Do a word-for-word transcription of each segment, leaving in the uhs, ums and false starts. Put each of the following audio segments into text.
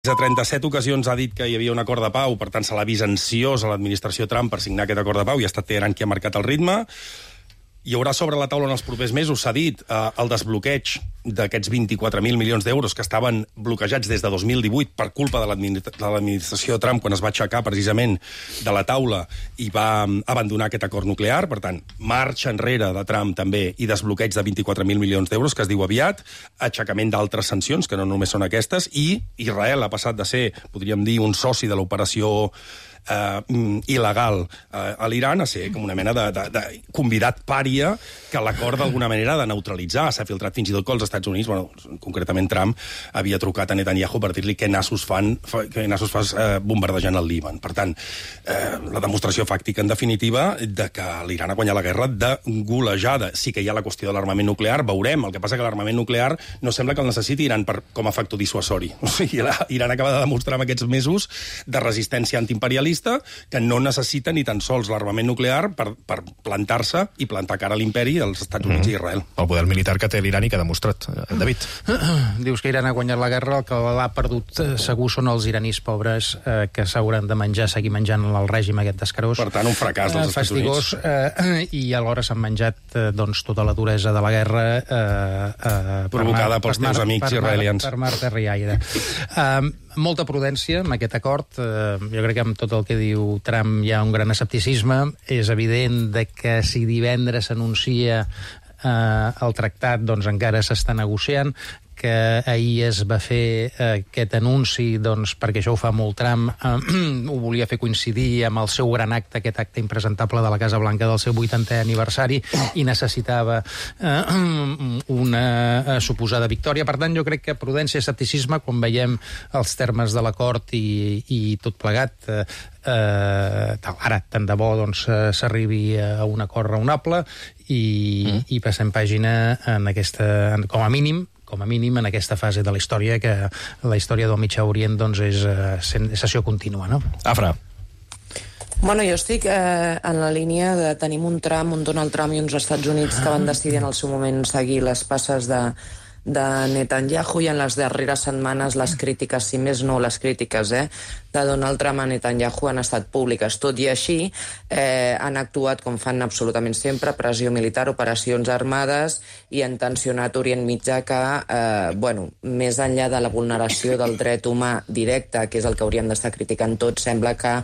A trenta-set ocasions ha dit que hi havia un acord de pau, per tant se l'ha vist ansiós a l'administració Trump per signar aquest acord de pau i ha estat Teheran qui ha marcat el ritme. Hi haurà sobre la taula en els propers mesos, s'ha dit, eh, el desbloqueig d'aquests vint-i-quatre mil milions d'euros que estaven bloquejats des de dos mil divuit per culpa de l'administració Trump quan es va aixecar precisament de la taula i va abandonar aquest acord nuclear. Per tant, marxa enrere de Trump també i desbloqueig de vint-i-quatre mil milions d'euros, que es diu aviat, aixecament d'altres sancions, que no només són aquestes, i Israel ha passat de ser, podríem dir, un soci de l'operació Uh, il·legal uh, a l'Iran a ser com una mena de, de, de convidat pària que l'acord d'alguna manera de neutralitzar. S'ha filtrat fins i tot que els Estats Units, bueno, concretament Trump, havia trucat a Netanyahu per dir-li què nassos fan, què nassos fas uh, bombardejant el Líban. Per tant, uh, la demostració fàctica, en definitiva, de que l'Iran ha guanyat la guerra de golejada. Sí que hi ha la qüestió de l'armament nuclear, veurem. El que passa que l'armament nuclear no sembla que el necessiti Iran per, com a factor dissuasori. O sigui, Iran acaba de demostrar en aquests mesos de resistència antiimperialista que no necessita ni tan sols l'armament nuclear per, per plantar-se i plantar cara a l'imperi dels Estats Units mm. i Israel. El poder militar que té l'Iran i que ha demostrat, David. Dius que Iran ha guanyat la guerra, el que l'ha perdut segur són els iranis pobres eh, que s'hauran de menjar, seguir menjant el règim aquest d'escarós. Per tant, un fracàs dels Estats Units. Eh, I alhora s'han menjat eh, doncs, tota la duresa de la guerra eh, eh, provocada per pels teus amics per israelians. Per Marta Riaire. Eh, molta prudència amb aquest acord. Eh, jo crec que amb tot el que diu Trump hi ha un gran escepticisme. És evident de que si divendres s'anuncia eh, el tractat, doncs encara s'està negociant, que ahir es va fer eh, aquest anunci, doncs, perquè això ho fa molt Trump, eh, ho volia fer coincidir amb el seu gran acte, aquest acte impresentable de la Casa Blanca del seu vuitantè aniversari, i necessitava eh, una eh, suposada victòria. Per tant, jo crec que prudència i escepticisme, quan veiem els termes de l'acord i, i tot plegat, eh, eh, ara, tant de bo, doncs, s'arribi a un acord raonable i, mm. i passem pàgina en aquesta, com a mínim, com a mínim en aquesta fase de la història, que la història del Mitjà Orient doncs, és uh, sessió contínua, no? Afra. Bueno, jo estic eh, en la línia de tenim un Trump, un Donald Trump i uns Estats Units que van decidir en el seu moment seguir les passes de, de Netanyahu, i en les darreres setmanes les crítiques, si més no les crítiques, eh, de Donald Trump a Netanyahu han estat públiques. Tot i així, eh, han actuat com fan absolutament sempre, pressió militar, operacions armades, i han tensionat Orient Mitjà que, eh, bueno, més enllà de la vulneració del dret humà directe, que és el que hauríem d'estar criticant tots, sembla que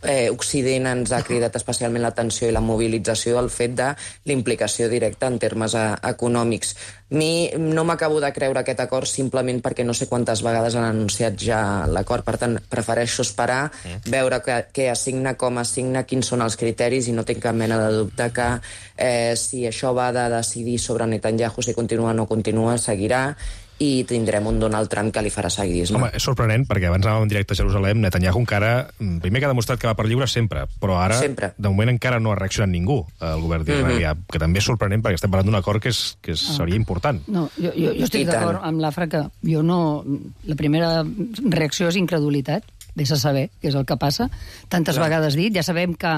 eh, Occident ens ha cridat especialment l'atenció i la mobilització del fet de l'implicació directa en termes eh, econòmics. Mi no m'acabo de creure aquest acord simplement perquè no sé quantes vegades han anunciat ja l'acord, per tant, prefereixo esperar, veure què, què assigna, com assigna, quins són els criteris, i no tinc cap mena de dubte que eh, si això va de decidir sobre Netanyahu, si continua o no continua, seguirà, i tindrem un Donald Trump que li farà seguidisme. Home, és sorprenent, perquè abans anàvem en directe a Jerusalem, Netanyahu encara, primer que ha demostrat que va per lliure sempre, però ara, sempre. De moment, encara no ha reaccionat ningú al govern d'Israel, mm-hmm. que també és sorprenent, perquè estem parlant d'un acord que, és, que és, seria important. No, jo, jo, jo estic d'acord amb l'Afra que jo no... La primera reacció és incredulitat. Vés a saber què és el que passa. Tantes Clar. vegades dit, ja sabem que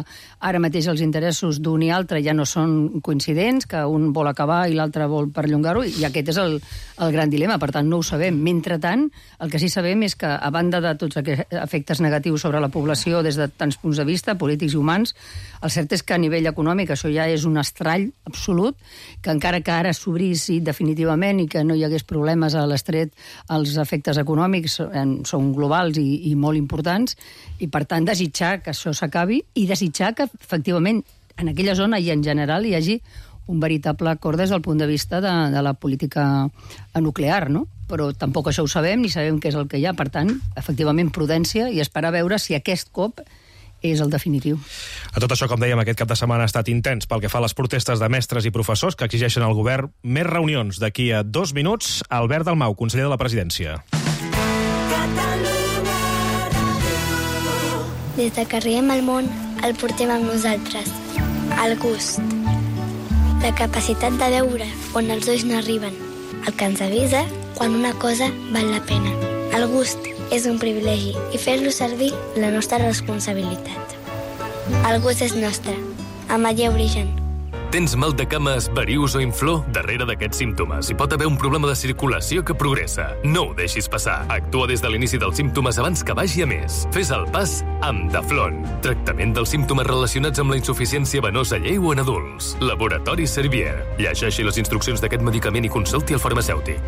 ara mateix els interessos d'un i altre ja no són coincidents, que un vol acabar i l'altre vol perllongar-ho, i aquest és el, el gran dilema, per tant no ho sabem. Mentrestant, el que sí sabem és que, a banda de tots aquests efectes negatius sobre la població des de tants punts de vista, polítics i humans, el cert és que a nivell econòmic això ja és un estrall absolut, que encara que ara s'obrís definitivament i que no hi hagués problemes a l'estret, els efectes econòmics són globals i, i molt importants, importants, i per tant desitjar que això s'acabi i desitjar que efectivament en aquella zona i en general hi hagi un veritable acord des del punt de vista de, de la política nuclear, no? Però tampoc això ho sabem ni sabem què és el que hi ha, per tant, efectivament prudència i esperar a veure si aquest cop és el definitiu. A tot això, com dèiem, aquest cap de setmana ha estat intens pel que fa a les protestes de mestres i professors que exigeixen al govern més reunions. D'aquí a dos minuts, Albert Dalmau, conseller de la Presidència. Des de que arribem al món, el portem amb nosaltres. El gust. La capacitat de veure on els ulls no arriben. El que ens avisa quan una cosa val la pena. El gust és un privilegi i fer-lo servir la nostra responsabilitat. El gust és nostre. Amaia Origen. Tens mal de cames, varius o inflor? Darrere d'aquests símptomes hi pot haver un problema de circulació que progressa. No ho deixis passar. Actua des de l'inici dels símptomes abans que vagi a més. Fes el pas amb Daflon. Tractament dels símptomes relacionats amb la insuficiència venosa lleu en adults. Laboratori Servier. Llegeixi les instruccions d'aquest medicament i consulti el farmacèutic.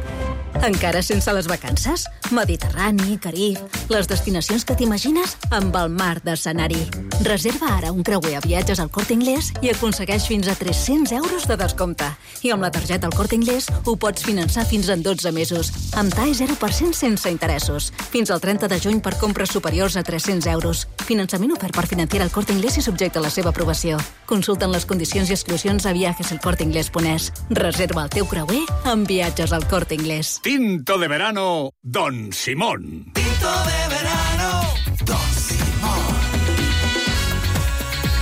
Encara sense les vacances? Mediterrani, Carib... Les destinacions que t'imagines amb el mar d'escenari. Reserva ara un creuer a viatges al Corte Inglés i aconsegueix fins a tres-cents euros de descompte. I amb la targeta al Corte Inglés ho pots finançar fins en dotze mesos, amb T A E zero per cent sense interessos. Fins al trenta de juny per compres superiors a tres-cents euros. Finançament ofert per Financiera al Corte Inglés i subjecte a la seva aprovació. Consulten les condicions i exclusions a viajes el corte inglés punt es. Reserva el teu creuer amb viatges al Corte Inglés. Tinto de verano, Don Simón. Tinto de verano, Don Simón.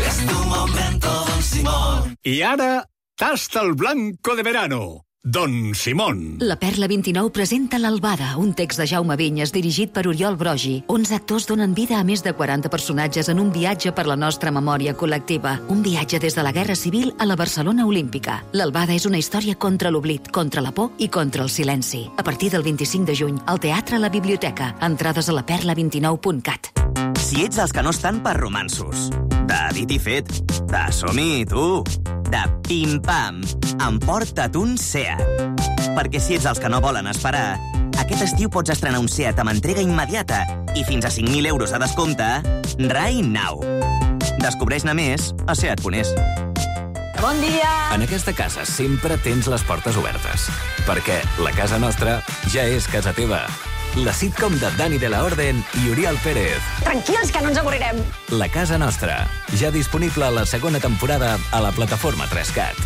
Es tu momento, Don Simón. I ara, tasta el blanco de verano, Don Simón. La Perla vint-i-nou presenta L'Albada, un text de Jaume Vinyes dirigit per Oriol Brogi. onze actors donen vida a més de quaranta personatges en un viatge per la nostra memòria col·lectiva. Un viatge des de la Guerra Civil a la Barcelona Olímpica. L'Albada és una història contra l'oblit, contra la por i contra el silenci. A partir del vint-i-cinc de juny, al Teatre a la Biblioteca. Entrades a la perla vint i nou punt cat. Si ets dels que no estan per romansos, de dit i fet, de som-hi, tu, de pim-pam, emporta't un Seat. Perquè si ets dels que no volen esperar, aquest estiu pots estrenar un Seat amb entrega immediata i fins a cinc mil euros de descompte right now. Descobreix-ne més a seat punt es. Bon dia! En aquesta casa sempre tens les portes obertes, perquè la casa nostra ja és casa teva. La sitcom de Dani de la Orden i Oriol Pérez. Tranquils, que no ens avorrirem. La casa nostra, ja disponible a la segona temporada a la plataforma tres cat.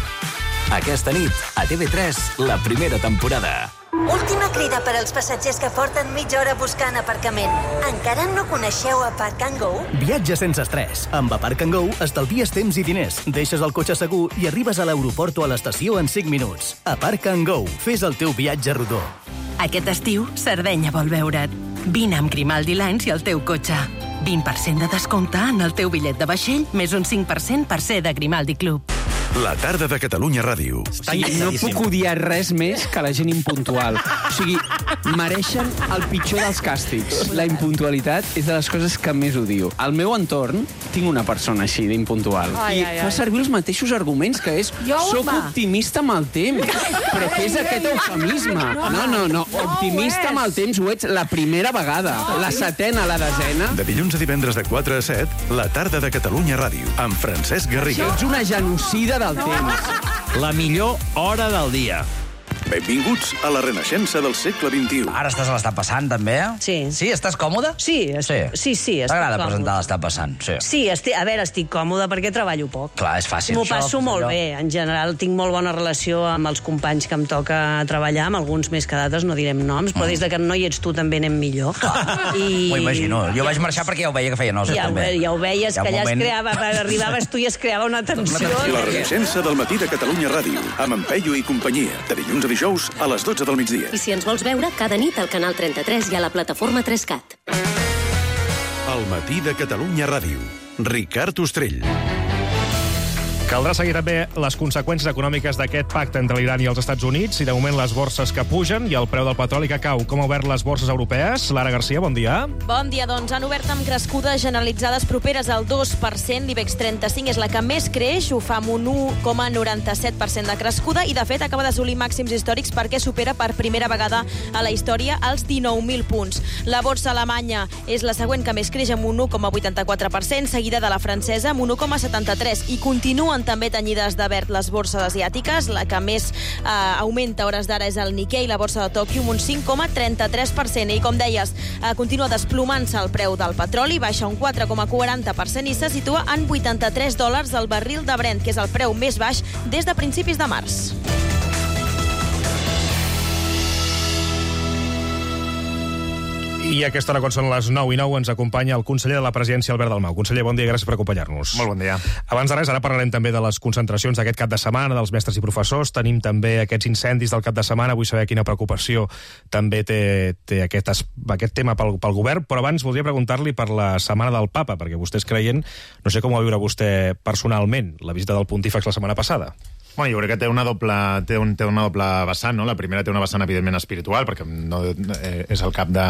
Aquesta nit, a T V tres, la primera temporada. Última crida per als passatgers que porten mitja hora buscant aparcament. Encara no coneixeu Aparc and Go? Viatge sense estrès. Amb Aparc and Go estalvies temps i diners, deixes el cotxe segur i arribes a l'aeroport o a l'estació en cinc minuts. Aparc and Go. Fes el teu viatge rodó. Aquest estiu, Sardenya vol veure't. Vine amb Grimaldi Lines i el teu cotxe. vint per cent de descompte en el teu bitllet de vaixell, més un cinc per cent per ser de Grimaldi Club. La tarda de Catalunya Ràdio. O sigui, no puc odiar res més que la gent impuntual. O sigui, mereixen el pitjor dels càstigs. La impuntualitat és de les coses que més odio. Al meu entorn tinc una persona així d'impuntual. I fa servir els mateixos arguments, que és soc optimista amb el temps. Però què és aquest eufemisme? No, no, no. Optimista amb el temps ho ets la primera vegada. La setena, la desena. De dilluns a divendres de quatre a set, la tarda de Catalunya Ràdio, amb Francesc Garriga. Ets una genocida del temps. La millor hora del dia. Benvinguts a la renaixença del segle vint-i-u. Ara estàs a l'Està passant, també? Sí. Sí? Estàs còmode? Sí, es... sí. sí, sí T'agrada presentar l'Està passant? Sí. Sí, estic... a veure, estic còmode perquè treballo poc. Clar, és fàcil. M'ho passo això, molt allò... bé. En general, tinc molt bona relació amb els companys que em toca treballar, amb alguns més que d'altres, no direm noms, però mm. des de que no hi ets tu també anem millor. I... M'ho imagino. Jo vaig marxar perquè ja ho veia que feia nosa, ja també. Ho, ja ho veies, que allà moment... es creava, arribaves tu i es creava una tensió. La renaixença del matí de Catalunya Ràdio, amb en Peyu i companyia, de dilluns a dijous a les dotze del migdia. I si ens vols veure, cada nit al canal trenta-tres i a la plataforma tres cat. El matí de Catalunya Ràdio. Ricard Ostrell. Caldrà seguir també les conseqüències econòmiques d'aquest pacte entre l'Iran i els Estats Units i, de moment, les borses que pugen i el preu del petroli que cau. Com ha obert les borses europees? Lara Garcia, bon dia. Bon dia, doncs. Han obert amb crescudes generalitzades properes al dos per cent. L'IBEX trenta-cinc és la que més creix, ho fa amb un u coma noranta-set per cent de crescuda i, de fet, acaba d'assolir màxims històrics perquè supera per primera vegada a la història els dinou mil punts. La borsa alemanya és la següent que més creix amb un u coma vuitanta-quatre per cent, seguida de la francesa amb un u coma setanta-tres i continuen també tenyides de verd les borses asiàtiques. La que més eh, augmenta a hores d'ara és el Nikkei, la borsa de Tòquio, amb un cinc coma trenta-tres per cent. I, com deies, eh, continua desplomant-se el preu del petroli, baixa un quatre coma quaranta per cent i se situa en vuitanta-tres dòlars el barril de Brent, que és el preu més baix des de principis de març. I a aquesta hora, quan són les nou i nou, ens acompanya el conseller de la Presidència, Albert Dalmau. Conseller, bon dia, gràcies per acompanyar-nos. Molt bon dia. Abans de res, ara parlarem també de les concentracions d'aquest cap de setmana, dels mestres i professors. Tenim també aquests incendis del cap de setmana. Vull saber quina preocupació també té, té aquest, aquest tema pel, pel govern. Però abans voldria preguntar-li per la setmana del Papa, perquè vostè és creient. No sé com va viure vostè personalment la visita del Pontífex la setmana passada. Bueno, jo crec que té una doble, té un, té una doble vessant, no? La primera té una vessant, evidentment, espiritual, perquè no, eh, és el cap de,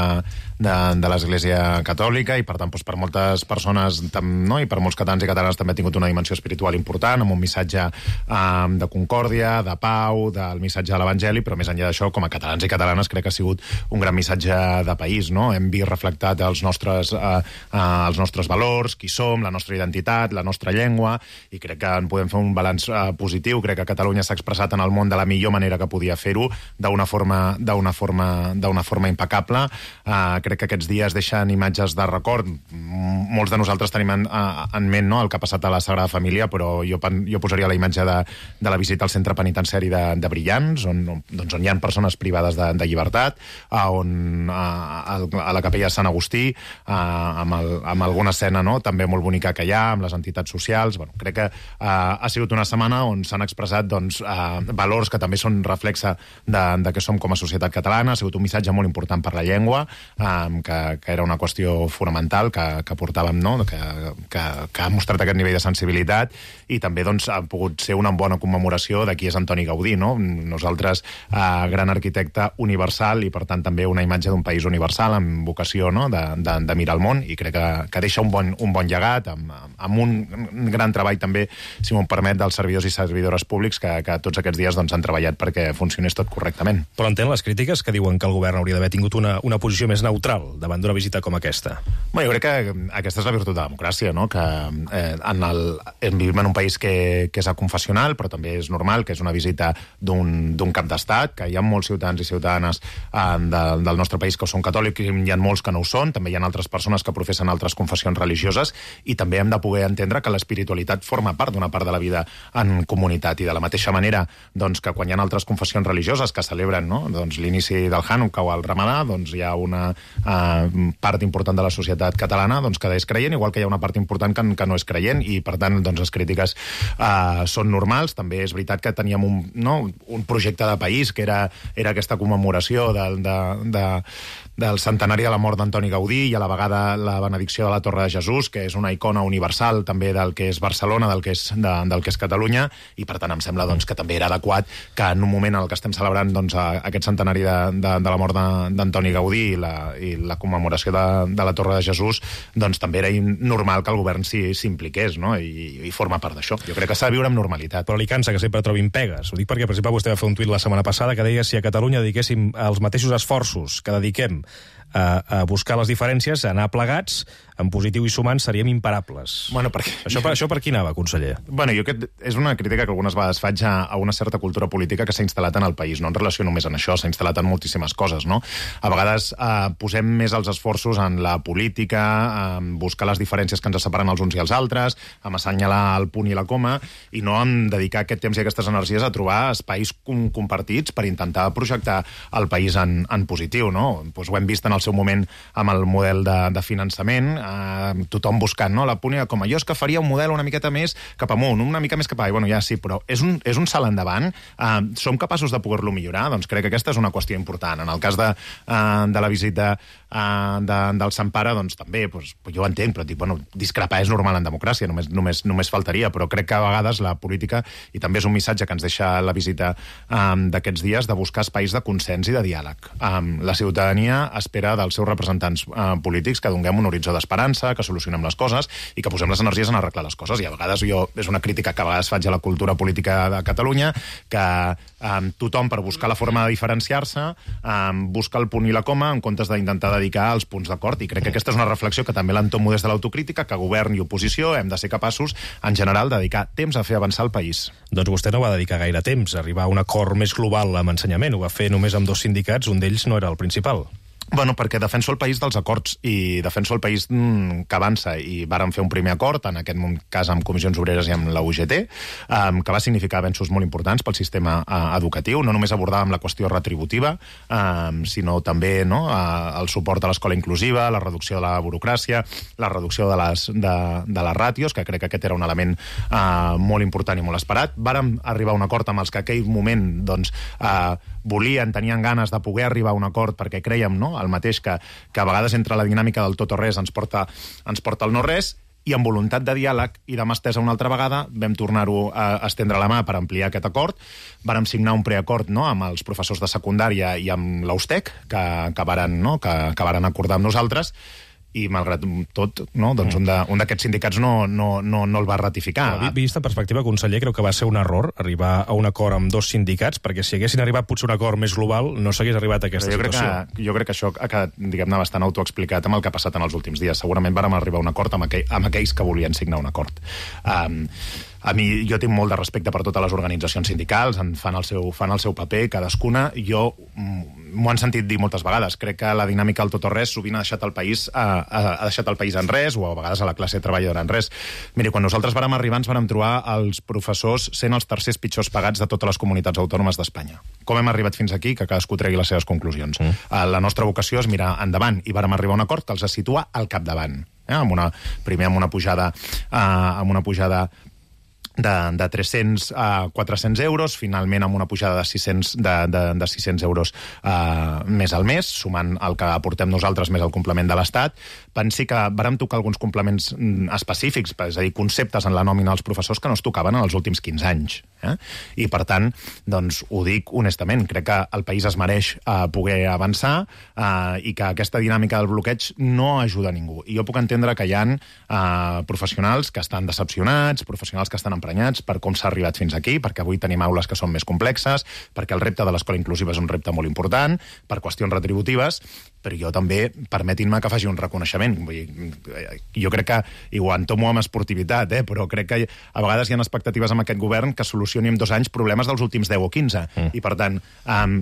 de, de l'Església Catòlica i, per tant, doncs, per moltes persones, tam, no? I per molts catalans i catalanes també ha tingut una dimensió espiritual important, amb un missatge eh, de concòrdia, de pau, del missatge de l'Evangeli, però més enllà d'això, com a catalans i catalanes, crec que ha sigut un gran missatge de país, no? Hem vist reflectat els nostres, eh, eh, els nostres valors, qui som, la nostra identitat, la nostra llengua, i crec que en podem fer un balanç eh, positiu. Crec que Catalunya s'ha expressat en el món de la millor manera que podia fer-ho, d'una forma, d'una forma, d'una forma impecable. Uh, crec que aquests dies deixen imatges de record. Molts de nosaltres tenim en, en ment, no?, el que ha passat a la Sagrada Família, però jo, jo posaria la imatge de, de la visita al centre penitenciari de, de Brillants, on, doncs on hi ha persones privades de, de llibertat, uh, on uh, a la capella de Sant Agustí, uh, amb, el, amb alguna escena, no?, també molt bonica que hi ha, amb les entitats socials. Bueno, crec que uh, ha sigut una setmana on s'han expressat doncs, eh, valors que també són reflexe de, de què som com a societat catalana. Ha sigut un missatge molt important per la llengua, eh, que, que era una qüestió fonamental que, que portàvem, no?, que, que, que ha mostrat aquest nivell de sensibilitat, i també doncs, ha pogut ser una bona commemoració de qui és Antoni Gaudí, no? Nosaltres, eh, gran arquitecte universal, i per tant també una imatge d'un país universal amb vocació, no?, de, de, de mirar el món, i crec que, que deixa un bon, un bon llegat, amb, amb un gran treball també, si m'ho permet, dels servidors i servidores públics que, que tots aquests dies doncs, han treballat perquè funcionés tot correctament. Però entén les crítiques que diuen que el govern hauria d'haver tingut una, una posició més neutral davant d'una visita com aquesta? Bueno, jo crec que aquesta és la virtut de la democràcia, no?, que eh, en el, vivim en un país que, que és aconfessional, però també és normal que és una visita d'un cap d'estat, que hi ha molts ciutadans i ciutadanes eh, de, del nostre país que són catòlics, i hi ha molts que no ho són, també hi ha altres persones que professen altres confessions religioses, i també hem de poder entendre que l'espiritualitat forma part d'una part de la vida en comunitat, i de la mateixa manera doncs, que quan hi ha altres confessions religioses que celebren, no?, doncs, l'inici del Hanukkah o el Ramadà, doncs hi ha una uh, part important de la societat catalana doncs, que és creient, igual que hi ha una part important que, que no és creient, i per tant doncs, les crítiques uh, són normals. També és veritat que teníem un, no, un projecte de país que era, era aquesta commemoració del, de, de, del centenari de la mort d'Antoni Gaudí, i a la vegada la benedicció de la Torre de Jesús, que és una icona universal també del que és Barcelona, del que és, de, del que és Catalunya, i per tant em sembla doncs, que també era adequat que en un moment en el que estem celebrant doncs, aquest centenari de, de, de la mort d'Antoni Gaudí i la, i la commemoració de, de la Torre de Jesús, doncs també era normal que el govern s'impliqués, no?, i, i forma part d'això. Jo crec que s'ha de viure amb normalitat. Però li cansa que sempre trobin pegues. Ho dic perquè, per exemple, vostè va fer un tuit la setmana passada que deia si a Catalunya dediquéssim els mateixos esforços que dediquem a, a buscar les diferències, a anar plegats, en positiu i sumant, seríem imparables. Bueno, perquè... Això, per, això per qui anava, conseller? Bueno, jo crec que és una crítica que algunes vegades faig a, a una certa cultura política que s'ha instal·lat en el país, no en relació només en això, s'ha instal·lat en moltíssimes coses, no? A vegades eh, posem més els esforços en la política, en buscar les diferències que ens separen els uns i els altres, en assenyalar el punt i la coma, i no en dedicar aquest temps i aquestes energies a trobar espais com, compartits per intentar projectar el país en, en positiu, no? Pues ho hem vist en el seu moment amb el model de, de finançament, Uh, tothom buscant, no?, la punt com a jo és que faria un model una miqueta més cap amunt, una mica més cap avall. Bueno, ja sí, però és un, és un salt endavant. Uh, som capaços de poder-lo millorar? Doncs crec que aquesta és una qüestió important. En el cas de, uh, de la visita uh, de, del Sant Pare, doncs també, doncs, jo ho entenc, però dic, bueno, discrepar és normal en democràcia, només, només, només faltaria, però crec que a vegades la política, i també és un missatge que ens deixa la visita um, d'aquests dies, de buscar espais de consens i de diàleg. Um, la ciutadania espera dels seus representants uh, polítics que donem un horitzó d'esperança, que solucionem les coses i que posem les energies en arreglar les coses. I a vegades jo, és una crítica que a vegades faig a la cultura política de Catalunya, que um, tothom, per buscar la forma de diferenciar-se, um, busca el punt i la coma en comptes d'intentar dedicar els punts d'acord. I crec que aquesta és una reflexió que també l'entomo des de l'autocrítica, que govern i oposició hem de ser capaços, en general, de dedicar temps a fer avançar el país. Doncs vostè no va dedicar gaire temps a arribar a un acord més global amb ensenyament. Ho va fer només amb dos sindicats, un d'ells no era el principal. Bueno, perquè defenso el país dels acords i defenso el país mm, que avança, i vàrem fer un primer acord, en aquest cas amb Comissions Obreres i amb la U G T, um, que va significar avenços molt importants pel sistema uh, educatiu. No només abordàvem la qüestió retributiva, um, sinó també no, uh, el suport a l'escola inclusiva, la reducció de la burocràcia, la reducció de les, de, de les ràtios, que crec que aquest era un element uh, molt important i molt esperat. Vàrem arribar a un acord amb els que en aquell moment doncs, uh, volien, tenien ganes de poder arribar a un acord perquè creiem, no?, el mateix que, que a vegades entre la dinàmica del tot o res ens porta, ens porta el no res, i amb voluntat de diàleg i de mà estesa una altra vegada vam tornar-ho a estendre la mà per ampliar aquest acord. Vàrem signar un preacord no, amb els professors de secundària i amb l'Austec, que, que, varen, no, que, que varen acordar amb nosaltres, i malgrat tot, no, doncs un d'aquests sindicats no, no, no, no el va ratificar. Però, vist en perspectiva, conseller, creu que va ser un error arribar a un acord amb dos sindicats, perquè si haguessin arribat potser un acord més global no s'hagués arribat a aquesta jo situació. Crec que, jo crec que això ha quedat, diguem-ne, bastant autoexplicat amb el que ha passat en els últims dies. Segurament vàrem arribar a un acord amb, aquell, amb aquells que volien signar un acord. Um, A mi, jo tinc molt de respecte per totes les organitzacions sindicals, en fan el seu, fan el seu paper, cadascuna. Jo m'ho han sentit dir moltes vegades. Crec que la dinàmica del tot o res sovint ha deixat el país, ha, ha deixat el país en res, o a vegades a la classe treballadora en res. Miri, quan nosaltres vàrem arribar ens vàrem trobar els professors sent els tercers pitjors pagats de totes les comunitats autònomes d'Espanya. Com hem arribat fins aquí? Que cadascú tregui les seves conclusions. Mm. La nostra vocació és mirar endavant, i vàrem arribar a un acord que els situa al capdavant. Eh? Amb una, primer amb una pujada, eh, amb una pujada de, de tres-cents a quatre-cents euros, finalment amb una pujada de sis-cents, de, de, de sis-cents euros uh, més al mes, sumant el que aportem nosaltres més el complement de l'Estat. Pensi que vàrem tocar alguns complements específics, és a dir, conceptes en la nòmina dels professors que no es tocaven en els últims quinze anys. Eh? I, per tant, doncs, ho dic honestament, crec que el país es mereix uh, poder avançar uh, i que aquesta dinàmica del bloqueig no ajuda a ningú. I jo puc entendre que hi ha uh, professionals que estan decepcionats, professionals que estan emprenyats per com s'ha arribat fins aquí, perquè avui tenim aules que són més complexes, perquè el repte de l'escola inclusiva és un repte molt important, per qüestions retributives, però jo també, permetin-me que faci un reconeixement. Vull dir, jo crec que, i ho entomo amb esportivitat, eh, però crec que a vegades hi ha expectatives amb aquest govern que solucioni en dos anys problemes dels últims deu o quinze. Mm. I, per tant, um,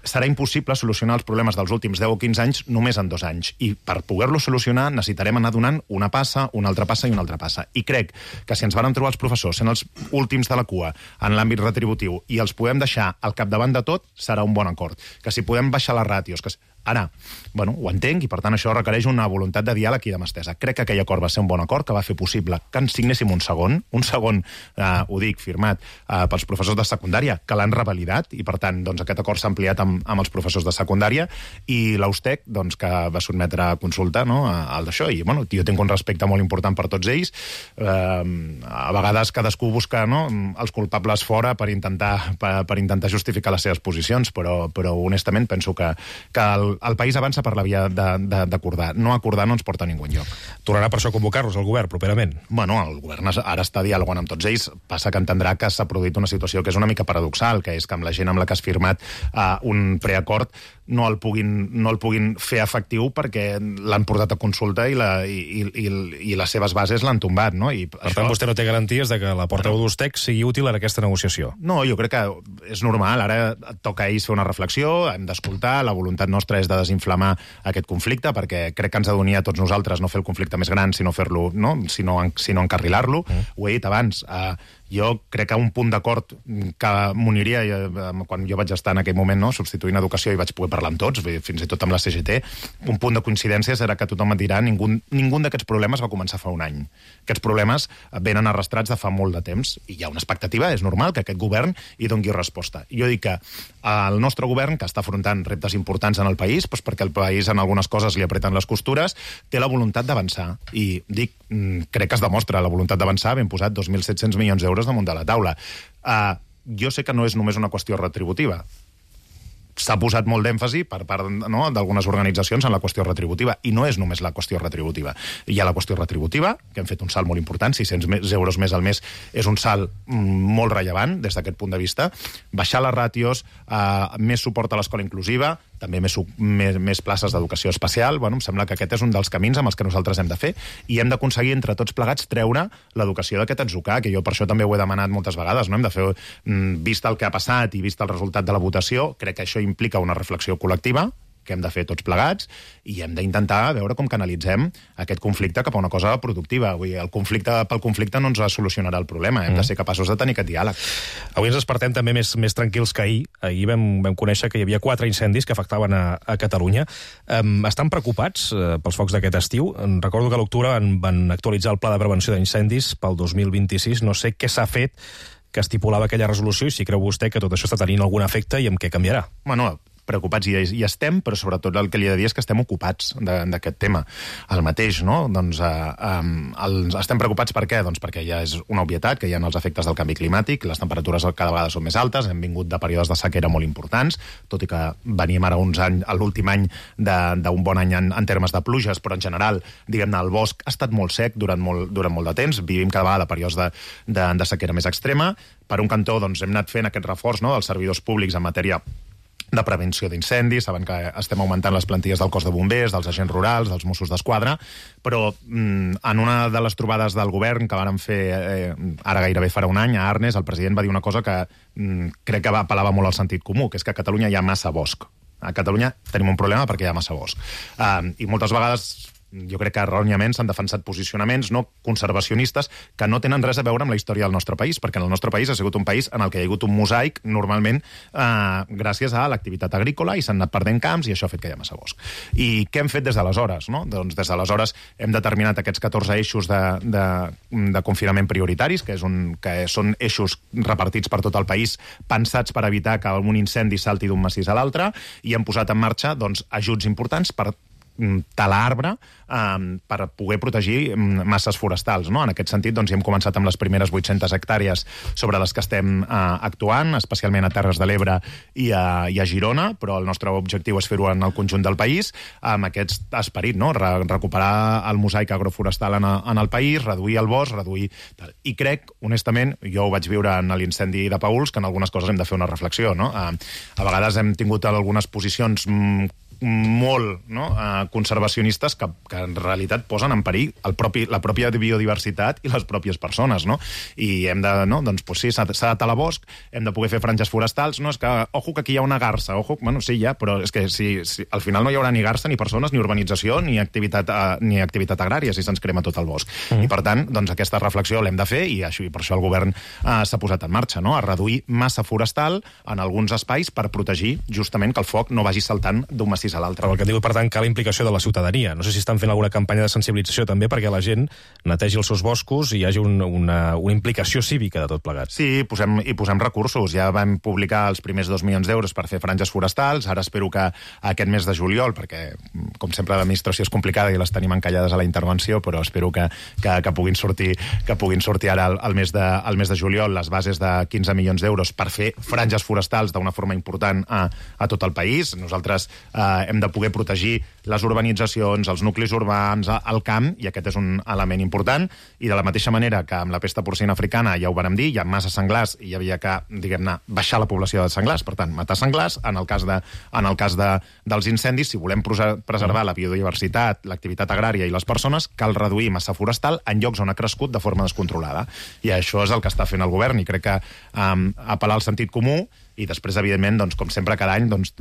serà impossible solucionar els problemes dels últims deu o quinze anys només en dos anys. I per poder-los solucionar necessitarem anar donant una passa, una altra passa i una altra passa. I crec que si ens varen trobar els professors sent els últims de la cua en l'àmbit retributiu i els podem deixar al capdavant de tot, serà un bon acord. Que si podem baixar les ràtios, que ara, bueno, ho entenc, i per tant això requereix una voluntat de diàleg i de mà estesa. Crec que aquell acord va ser un bon acord, que va fer possible que ens signéssim un segon, un segon, eh, ho dic, firmat eh, pels professors de secundària, que l'han revalidat, i per tant doncs, aquest acord s'ha ampliat amb, amb els professors de secundària, i l'Austec, doncs, que va sotmetre a consulta, no?, al d'això, i bueno, jo tinc un respecte molt important per tots ells. Eh, a vegades cadascú busca, no?, els culpables fora per intentar, per, per intentar justificar les seves posicions, però, però honestament penso que, que el el país avança per la via d'acordar. No acordar no ens porta a ningú enlloc. Tornarà per això a convocar-los el govern properament? Bueno, el govern ara està dialogant amb tots ells. Passa que entendrà que s'ha produït una situació que és una mica paradoxal, que és que amb la gent amb la que has firmat uh, un preacord no el puguin, no el puguin fer efectiu perquè l'han portat a consulta i, la, i, i, i les seves bases l'han tombat. No? I per això... tant, vostè no té garanties de que la portaveu bueno, d'Austec sigui útil en aquesta negociació? No, jo crec que és normal. Ara toca a ells fer una reflexió, hem d'escoltar, la voluntat nostra és de desinflamar aquest conflicte, perquè crec que ens ha d'unir a tots nosaltres no fer el conflicte més gran, sinó fer-lo, no? sinó, sinó encarrilar-lo. Mm. Ho he dit abans, uh, jo crec que un punt d'acord que m'uniria, quan jo vaig estar en aquell moment no, substituint educació i vaig poder parlar amb tots, fins i tot amb la C G T, un punt de coincidència serà que tothom et dirà ningú, ningú d'aquests problemes va començar fa un any. Aquests problemes venen arrastrats de fa molt de temps i hi ha una expectativa, és normal que aquest govern hi doni resposta. Jo dic que el nostre govern, que està afrontant reptes importants en el país, doncs perquè el país en algunes coses li apreten les costures, té la voluntat d'avançar. I dic, crec que es demostra la voluntat d'avançar, ben posat dos mil set-cents milions d'euros damunt de la taula. Uh, jo sé que no és només una qüestió retributiva. S'ha posat molt d'èmfasi per part no, d'algunes organitzacions en la qüestió retributiva, i no és només la qüestió retributiva. Hi ha la qüestió retributiva, que hem fet un salt molt important, sis-cents euros més al mes és un salt molt rellevant des d'aquest punt de vista. Baixar les ràtios, uh, més suport a l'escola inclusiva, també més, més, més places d'educació especial. Bueno, em sembla que aquest és un dels camins amb els que nosaltres hem de fer, i hem d'aconseguir entre tots plegats treure l'educació d'aquest atzucar, que jo per això també ho he demanat moltes vegades. No? Hem de fer, vist el que ha passat i vist el resultat de la votació, crec que això implica una reflexió col·lectiva, què hem de fer tots plegats, i hem d'intentar veure com canalitzem aquest conflicte cap a una cosa productiva. Vull dir, el conflicte pel conflicte no ens solucionarà el problema, hem mm. de ser capaços de tenir aquest diàleg. Avui ens despertem també més, més tranquils que ahir. Ahir vam, vam conèixer que hi havia quatre incendis que afectaven a, a Catalunya. Um, estan preocupats uh, pels focs d'aquest estiu? Recordo que a l'octubre van, van actualitzar el pla de prevenció d'incendis pel dos mil vint-i-sis. No sé què s'ha fet que estipulava aquella resolució i si creu vostè que tot això està tenint algun efecte i amb què canviarà. Bueno, preocupats hi, hi estem, però sobretot el que li he de dir és que estem ocupats d'aquest tema. El mateix, no? Doncs eh, eh, estem preocupats per què? Doncs perquè ja és una obvietat, que hi ha els efectes del canvi climàtic, les temperatures cada vegada són més altes, hem vingut de períodes de sequera molt importants, tot i que veníem ara uns anys, l'últim any d'un bon any en, en termes de pluges, però en general, diguem-ne, el bosc ha estat molt sec durant molt, durant molt de temps, vivim cada vegada períodes de, de, de sequera més extrema. Per un cantó, doncs, hem anat fent aquest reforç, no?, dels servidors públics en matèria de prevenció d'incendis, saben que estem augmentant les plantilles del cos de bombers, dels agents rurals, dels Mossos d'Esquadra, però mm, en una de les trobades del govern que vàrem fer eh, ara gairebé farà un any a Arnes, el president va dir una cosa que mm, crec que apel·lava molt al sentit comú, que és que a Catalunya hi ha massa bosc. A Catalunya tenim un problema perquè hi ha massa bosc. Uh, I moltes vegades jo crec que erròniament s'han defensat posicionaments no conservacionistes que no tenen res a veure amb la història del nostre país, perquè en el nostre país ha sigut un país en el que hi ha hagut un mosaic, normalment, eh, gràcies a l'activitat agrícola, i s'han anat perdent camps, i això ha fet que hi ha massa bosc. I què hem fet des d'aleshores? No? Doncs des d'aleshores hem determinat aquests catorze eixos de, de, de confinament prioritaris, que, és un, que són eixos repartits per tot el país, pensats per evitar que un incendi salti d'un massís a l'altre, i hem posat en marxa doncs, ajuts importants per talar arbre um, per poder protegir masses forestals. No? En aquest sentit, doncs, hem començat amb les primeres vuit-centes hectàrees sobre les que estem uh, actuant, especialment a Terres de l'Ebre i a, i a Girona, però el nostre objectiu és fer-ho en el conjunt del país, amb aquest esperit, no? Re recuperar el mosaic agroforestal en, a, en el país, reduir el bosc, reduir... I crec, honestament, jo ho vaig viure en l'incendi de Paüls, que en algunes coses hem de fer una reflexió. No? Uh, a vegades hem tingut algunes posicions mm, molt no? uh, conservacionistes que, que en realitat posen en perill el propi, la pròpia biodiversitat i les pròpies persones, no? I hem de, no? Doncs pues sí, s'ha de talar bosc, hem de poder fer franges forestals, no? És que, ojo, que aquí hi ha una garça, ojo, bueno, sí, ja, però és que si, si, al final no hi haurà ni garça, ni persones, ni urbanització, ni activitat, uh, ni activitat agrària, si se'ns crema tot el bosc. Mm. I per tant, doncs aquesta reflexió l'hem de fer, i, això, i per això el govern uh, s'ha posat en marxa, no? A reduir massa forestal en alguns espais per protegir justament que el foc no vagi saltant d'un massís a l'altre. Però el que diu, per tant, cal la implicació de la ciutadania. No sé si estan fent alguna campanya de sensibilització també perquè la gent netegi els seus boscos i hi hagi un, una, una implicació cívica de tot plegat. Sí, posem, i posem recursos. Ja vam publicar els primers dos milions d'euros per fer franges forestals. Ara espero que aquest mes de juliol, perquè, com sempre, l'administració és complicada i les tenim encallades a la intervenció, però espero que, que, que puguin sortir que puguin sortir ara al mes de, al mes de juliol les bases de quinze milions d'euros per fer franges forestals d'una forma important a, a tot el país. Nosaltres eh, hem de poder protegir les urbanitzacions, els nuclis urbans, el camp, i aquest és un element important, i de la mateixa manera que amb la pesta porcina africana, ja ho vàrem dir, hi ha massa senglars i hi havia que, diguem-ne, baixar la població de senglars, per tant, matar senglars. En el cas, de, en el cas de, dels incendis, si volem preservar la biodiversitat, l'activitat agrària i les persones, cal reduir massa forestal en llocs on ha crescut de forma descontrolada. I això és el que està fent el govern, i crec que um, apel·lar al sentit comú. I després, evidentment, doncs, com sempre, cada any, doncs,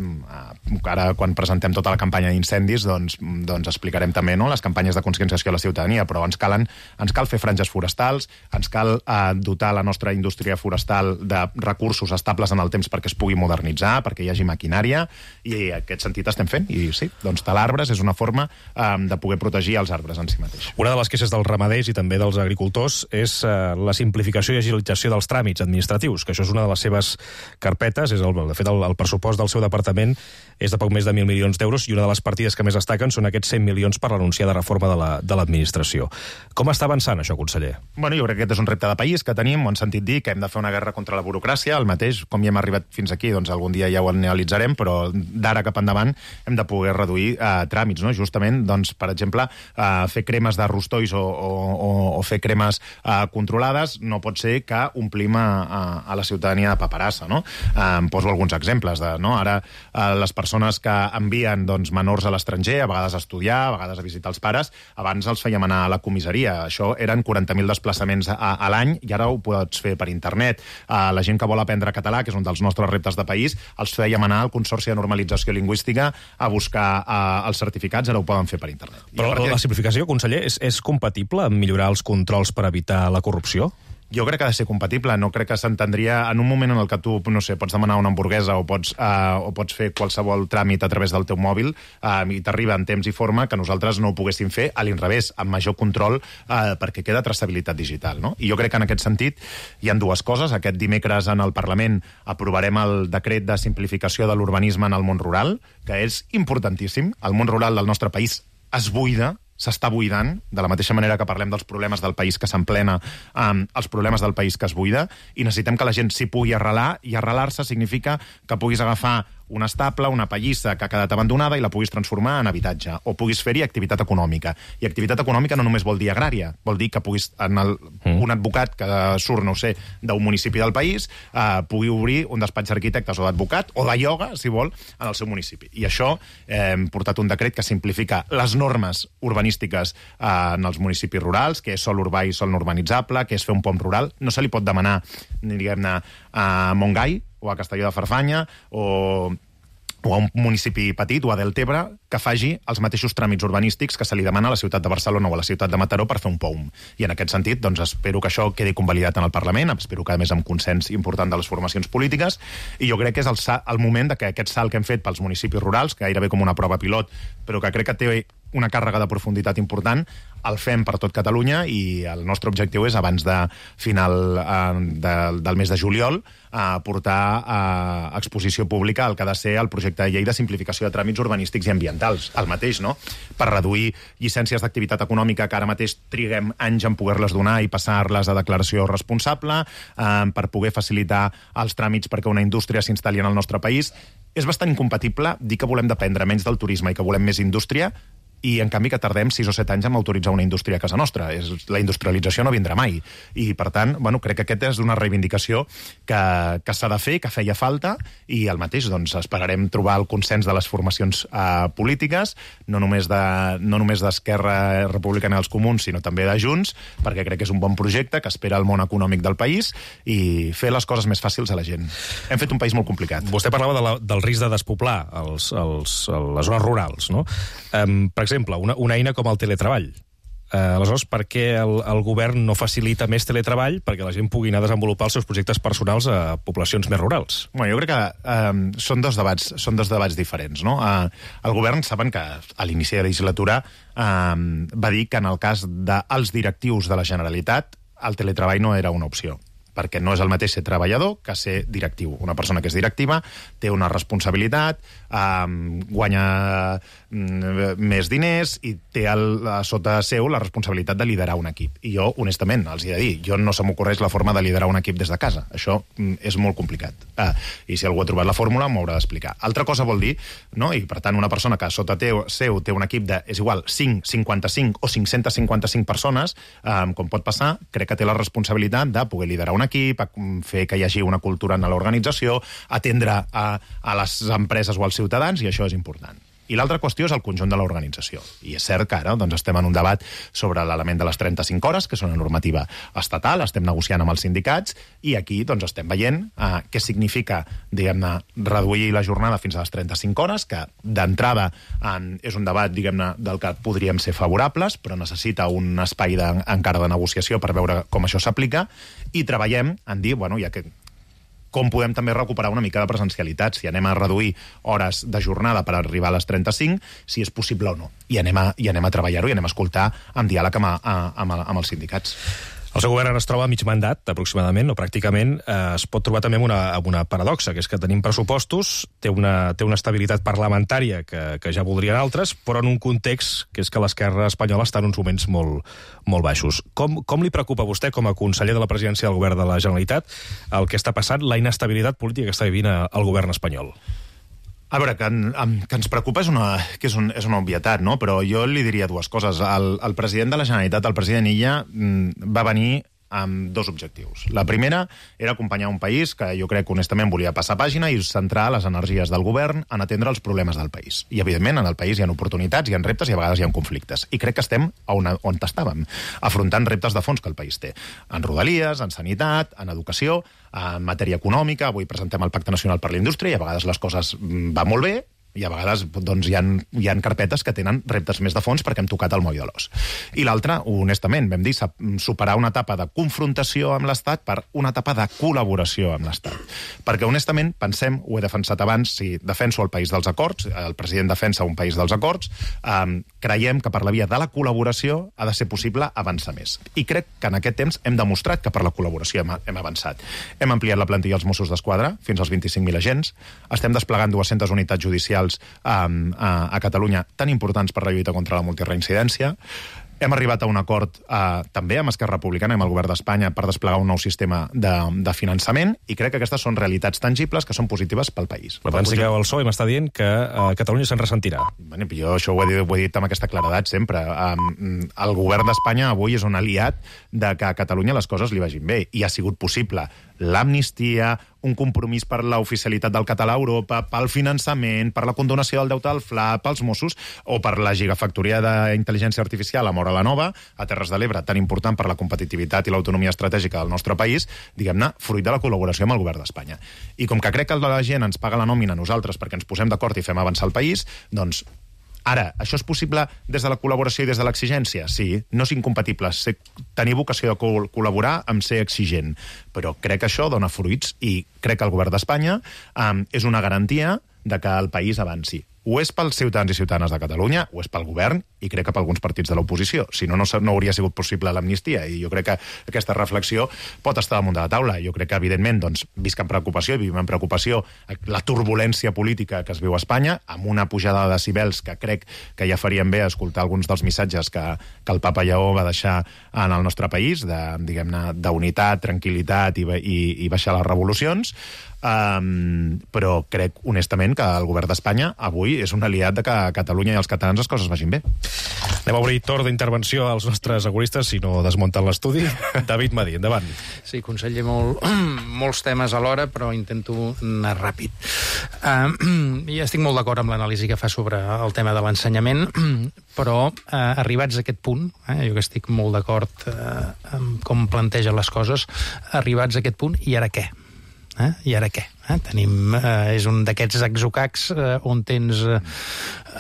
ara, quan presentem tota la campanya d'incendis, doncs, doncs explicarem també, no?, les campanyes de conscienciació a la ciutadania, però ens, calen, ens cal fer franges forestals, ens cal eh, dotar la nostra indústria forestal de recursos estables en el temps perquè es pugui modernitzar, perquè hi hagi maquinària, i en aquest sentit estem fent. I sí, doncs talar arbres és una forma eh, de poder protegir els arbres en si mateix. Una de les queixes dels ramaders i també dels agricultors és eh, la simplificació i agilització dels tràmits administratius, que això és una de les seves carpetes. És el, de fet, el, el pressupost del seu departament és de poc més de mil milions d'euros, i una de les partides que més destaquen són aquests cent milions per l'anunciada reforma de l'administració. La, Com està avançant això, conseller? Bueno, jo crec que aquest és un repte de país que tenim, ho han sentit dir, que hem de fer una guerra contra la burocràcia, el mateix, com ja hem arribat fins aquí, doncs algun dia ja ho analitzarem, però d'ara cap endavant hem de poder reduir eh, tràmits, no? Justament, doncs, per exemple, eh, fer cremes de rostois o, o, o, o fer cremes eh, controlades no pot ser que omplim a, a, a la ciutadania de paperassa, no? Eh, poso alguns exemples. De, no? Ara, eh, les persones que envien doncs, menors a l'estranger, a vegades a estudiar, a vegades a visitar els pares, abans els fèiem anar a la comissaria. Això eren quaranta mil desplaçaments a, a l'any i ara ho pots fer per internet. Eh, la gent que vol aprendre català, que és un dels nostres reptes de país, els fèiem anar al Consorci de Normalització Lingüística a buscar uh, els certificats, ara ho poden fer per internet. Però perquè... la simplificació, conseller, és, és compatible amb millorar els controls per evitar la corrupció? Jo crec que ha de ser compatible, no crec que s'entendria en un moment en el que tu, no sé, pots demanar una hamburguesa o pots, uh, o pots fer qualsevol tràmit a través del teu mòbil uh, i t'arriba en temps i forma que nosaltres no ho poguéssim fer a l'inrevés, amb major control uh, perquè queda traçabilitat digital, no? I jo crec que en aquest sentit hi ha dues coses. Aquest dimecres en el Parlament aprovarem el decret de simplificació de l'urbanisme en el món rural, que és importantíssim. El món rural del nostre país es buida, s'està buidant, de la mateixa manera que parlem dels problemes del país que s'emplena, um, els problemes del país que es buida, i necessitem que la gent s'hi pugui arrelar, i arrelar-se significa que puguis agafar una estable, una pallissa que ha quedat abandonada i la puguis transformar en habitatge, o puguis fer-hi activitat econòmica. I activitat econòmica no només vol dir agrària, vol dir que puguis, en el, mm. un advocat que surt, no ho sé, d'un municipi del país, eh, pugui obrir un despatx d'arquitectes o d'advocat, o de ioga, si vol, en el seu municipi. I això eh, hem portat un decret que simplifica les normes urbanístiques eh, en els municipis rurals, que és sòl urbà i sòl no urbanitzable, que és fer un pont rural. No se li pot demanar, diguem-ne, a Montgai, o a Castelló de Farfanya, o, o a un municipi petit, o a Deltebre, que faci els mateixos tràmits urbanístics que se li demana a la ciutat de Barcelona o a la ciutat de Mataró per fer un P O M. I en aquest sentit, doncs, espero que això quedi convalidat en el Parlament, espero que, a més, amb consens important de les formacions polítiques, i jo crec que és el, el moment de que aquest salt que hem fet pels municipis rurals, que gairebé com una prova pilot, però que crec que té una càrrega de profunditat important, el fem per tot Catalunya, i el nostre objectiu és, abans de final eh, de, del mes de juliol, eh, portar a exposició pública el que ha de ser el projecte de llei de simplificació de tràmits urbanístics i ambientals. El mateix, no? Per reduir llicències d'activitat econòmica que ara mateix triguem anys en poder-les donar i passar-les a declaració responsable, eh, per poder facilitar els tràmits perquè una indústria s'instal·li en el nostre país. És bastant incompatible dir que volem dependre menys del turisme i que volem més indústria, i en canvi que tardem sis o set anys en autoritzar una indústria a casa nostra. És, la industrialització no vindrà mai. I, per tant, bueno, crec que aquesta és una reivindicació que, que s'ha de fer, que feia falta, i el mateix, doncs, esperarem trobar el consens de les formacions eh, polítiques, no només de, no només d'Esquerra Republicana dels Comuns, sinó també de Junts, perquè crec que és un bon projecte que espera el món econòmic del país i fer les coses més fàcils a la gent. Hem fet un país molt complicat. Vostè parlava de la, del risc de despoblar els, els, les zones rurals, no? Um, per exemple, una, una eina com el teletreball. Eh, aleshores, per què el, el govern no facilita més teletreball perquè la gent pugui anar a desenvolupar els seus projectes personals a poblacions més rurals? Bueno, jo crec que eh, són, dos debats, són dos debats diferents, no? Eh, el govern, saben que a l'inici de la legislatura eh, va dir que en el cas dels directius de la Generalitat el teletreball no era una opció, perquè no és el mateix ser treballador que ser directiu. Una persona que és directiva té una responsabilitat, eh, guanya mm, més diners i té el, sota seu la responsabilitat de liderar un equip. I jo, honestament, els he de dir, jo no se m'ocorreix la forma de liderar un equip des de casa. Això mm, és molt complicat. Eh, I si algú ha trobat la fórmula, m'ho haurà d'explicar. Altra cosa vol dir, no? I per tant, una persona que sota teu, seu té un equip de, és igual, cinc, cinquanta-cinc o cinc-centes cinquanta-cinc persones, eh, com pot passar, crec que té la responsabilitat de poder liderar un equip, a fer que hi hagi una cultura en l'organització, atendre a, a les empreses o als ciutadans, i això és important. I l'altra qüestió és el conjunt de l'organització. I és cert que ara doncs, estem en un debat sobre l'element de les trenta-cinc hores, que és una normativa estatal, estem negociant amb els sindicats, i aquí doncs, estem veient eh, què significa, diguem-ne, reduir la jornada fins a les trenta-cinc hores, que d'entrada eh, és un debat, diguem-ne, del que podríem ser favorables, però necessita un espai de, encara de negociació per veure com això s'aplica, i treballem en dir, bueno, ja que com podem també recuperar una mica de presencialitat, si anem a reduir hores de jornada per arribar a les trenta-cinc, si és possible o no. I anem a, i anem a treballar-ho i anem a escoltar en diàleg amb, amb, amb els sindicats. El seu govern ara es troba a mig mandat, aproximadament, o pràcticament. Eh, es pot trobar també amb una, amb una paradoxa, que és que tenim pressupostos, té una, té una estabilitat parlamentària que, que ja voldrien altres, però en un context que és que l'esquerra espanyola està en uns moments molt, molt baixos. Com, com li preocupa a vostè, com a conseller de la presidència del govern de la Generalitat, el que està passant, la inestabilitat política que està vivint el govern espanyol? A veure, que, en, que ens preocupa és una, que és, un, és una obvietat, no? Però jo li diria dues coses. El, el president de la Generalitat, el president Illa, va venir amb dos objectius. La primera era acompanyar un país que jo crec que honestament volia passar pàgina i centrar les energies del govern en atendre els problemes del país. I, evidentment, en el país hi ha oportunitats, hi ha reptes i a vegades hi ha conflictes. I crec que estem on, on estàvem, afrontant reptes de fons que el país té. En rodalies, en sanitat, en educació, en matèria econòmica. Avui presentem el Pacte Nacional per la Indústria i a vegades les coses van molt bé, i a vegades doncs, hi, ha, hi ha carpetes que tenen reptes més de fons perquè hem tocat el moll de l'os. I l'altre, honestament, vam dir, superar una etapa de confrontació amb l'Estat per una etapa de col·laboració amb l'Estat. Perquè, honestament, pensem, ho he defensat abans, si defenso el país dels acords, el president defensa un país dels acords, eh, creiem que per la via de la col·laboració ha de ser possible avançar més. I crec que en aquest temps hem demostrat que per la col·laboració hem, hem avançat. Hem ampliat la plantilla dels Mossos d'Esquadra fins als vint-i-cinc mil agents, estem desplegant dues-centes unitats judicials Um, a, a Catalunya tan importants per la lluita contra la multireincidència. Hem arribat a un acord eh, també amb Esquerra Republicana i amb el govern d'Espanya per desplegar un nou sistema de, de finançament i crec que aquestes són realitats tangibles que són positives pel país. Per tant, sí que el P S O E m'està dient que eh, Catalunya se'n ressentirà. Bueno, jo això ho he, dit, ho he dit amb aquesta claredat sempre. Um, el govern d'Espanya avui és un aliat de que a Catalunya les coses li vagin bé i ha sigut possible l'amnistia, un compromís per l'oficialitat del català a Europa, pel finançament, per la condonació del deute del F L A, pels Mossos, o per la gigafactoria d'intel·ligència artificial a Móra la Nova, a Terres de l'Ebre, tan important per la competitivitat i l'autonomia estratègica del nostre país, diguem-ne, fruit de la col·laboració amb el govern d'Espanya. I com que crec que la gent ens paga la nòmina a nosaltres perquè ens posem d'acord i fem avançar el país, doncs ara, això és possible des de la col·laboració i des de l'exigència? Sí, no és incompatible ser, tenir vocació de col col·laborar amb ser exigent, però crec que això dona fruits i crec que el govern d'Espanya um, és una garantia de que el país avanci. Ho és pels ciutadans i ciutadanes de Catalunya, ho és pel govern i crec que per alguns partits de l'oposició. Si no, no, no hauria sigut possible l'amnistia i jo crec que aquesta reflexió pot estar damunt de la taula. Jo crec que, evidentment, doncs, visc amb preocupació i vivim amb preocupació la turbulència política que es viu a Espanya, amb una pujada de decibels que crec que ja farien bé escoltar alguns dels missatges que, que el papa Lleó va deixar en el nostre país, de, diguem-ne, d'unitat, tranquil·litat i, i, i baixar les revolucions. Um, però crec, honestament, que el govern d'Espanya avui és un aliat de que a Catalunya i als catalans les coses vagin bé. Anem a obrir torn d'intervenció als nostres agoristes, si no desmunten l'estudi. David Madí, endavant. Sí, conseller, molt, molts temes alhora, però intento anar ràpid. Uh, ja estic molt d'acord amb l'anàlisi que fa sobre el tema de l'ensenyament, però uh, arribats a aquest punt, eh, jo que estic molt d'acord uh, amb com plantegen les coses, arribats a aquest punt, i ara què? Eh? I ara què? Eh? Tenim, eh, és un d'aquests exocacs eh, on tens eh,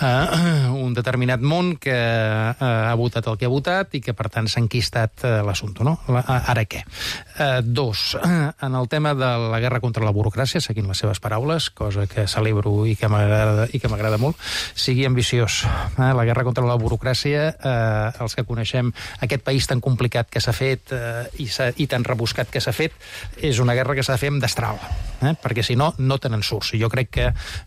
eh, un determinat món que eh, ha votat el que ha votat i que, per tant, s'ha enquistat eh, l'assumpte, no? La, ara què? Eh, dos, en el tema de la guerra contra la burocràcia, seguint les seves paraules, cosa que celebro i que m'agrada i que m'agrada molt, sigui ambiciós. Eh? La guerra contra la burocràcia, eh, els que coneixem aquest país tan complicat que s'ha fet eh, i, i tan rebuscat que s'ha fet, és una guerra que s'ha de fer amb destral, eh? Perquè si no, no te n'en surts. Jo crec que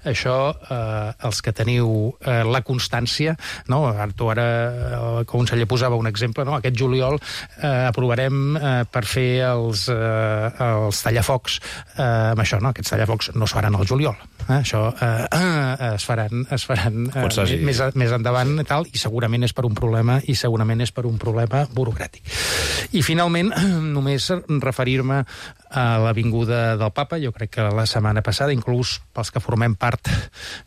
això, eh, els que teniu eh, la constància, no? Tu ara, el conseller posava un exemple, no? Aquest juliol eh, aprovarem eh, per fer els, eh, els tallafocs eh, amb això, no? Aquests tallafocs no es faran al juliol. Eh? Això eh, eh, es faran, es faran eh, més, més endavant i tal, i segurament és per un problema i segurament és per un problema burocràtic. I finalment, només referir-me a l'avinguda del papa. Jo crec que la setmana passada, inclús pels que formem part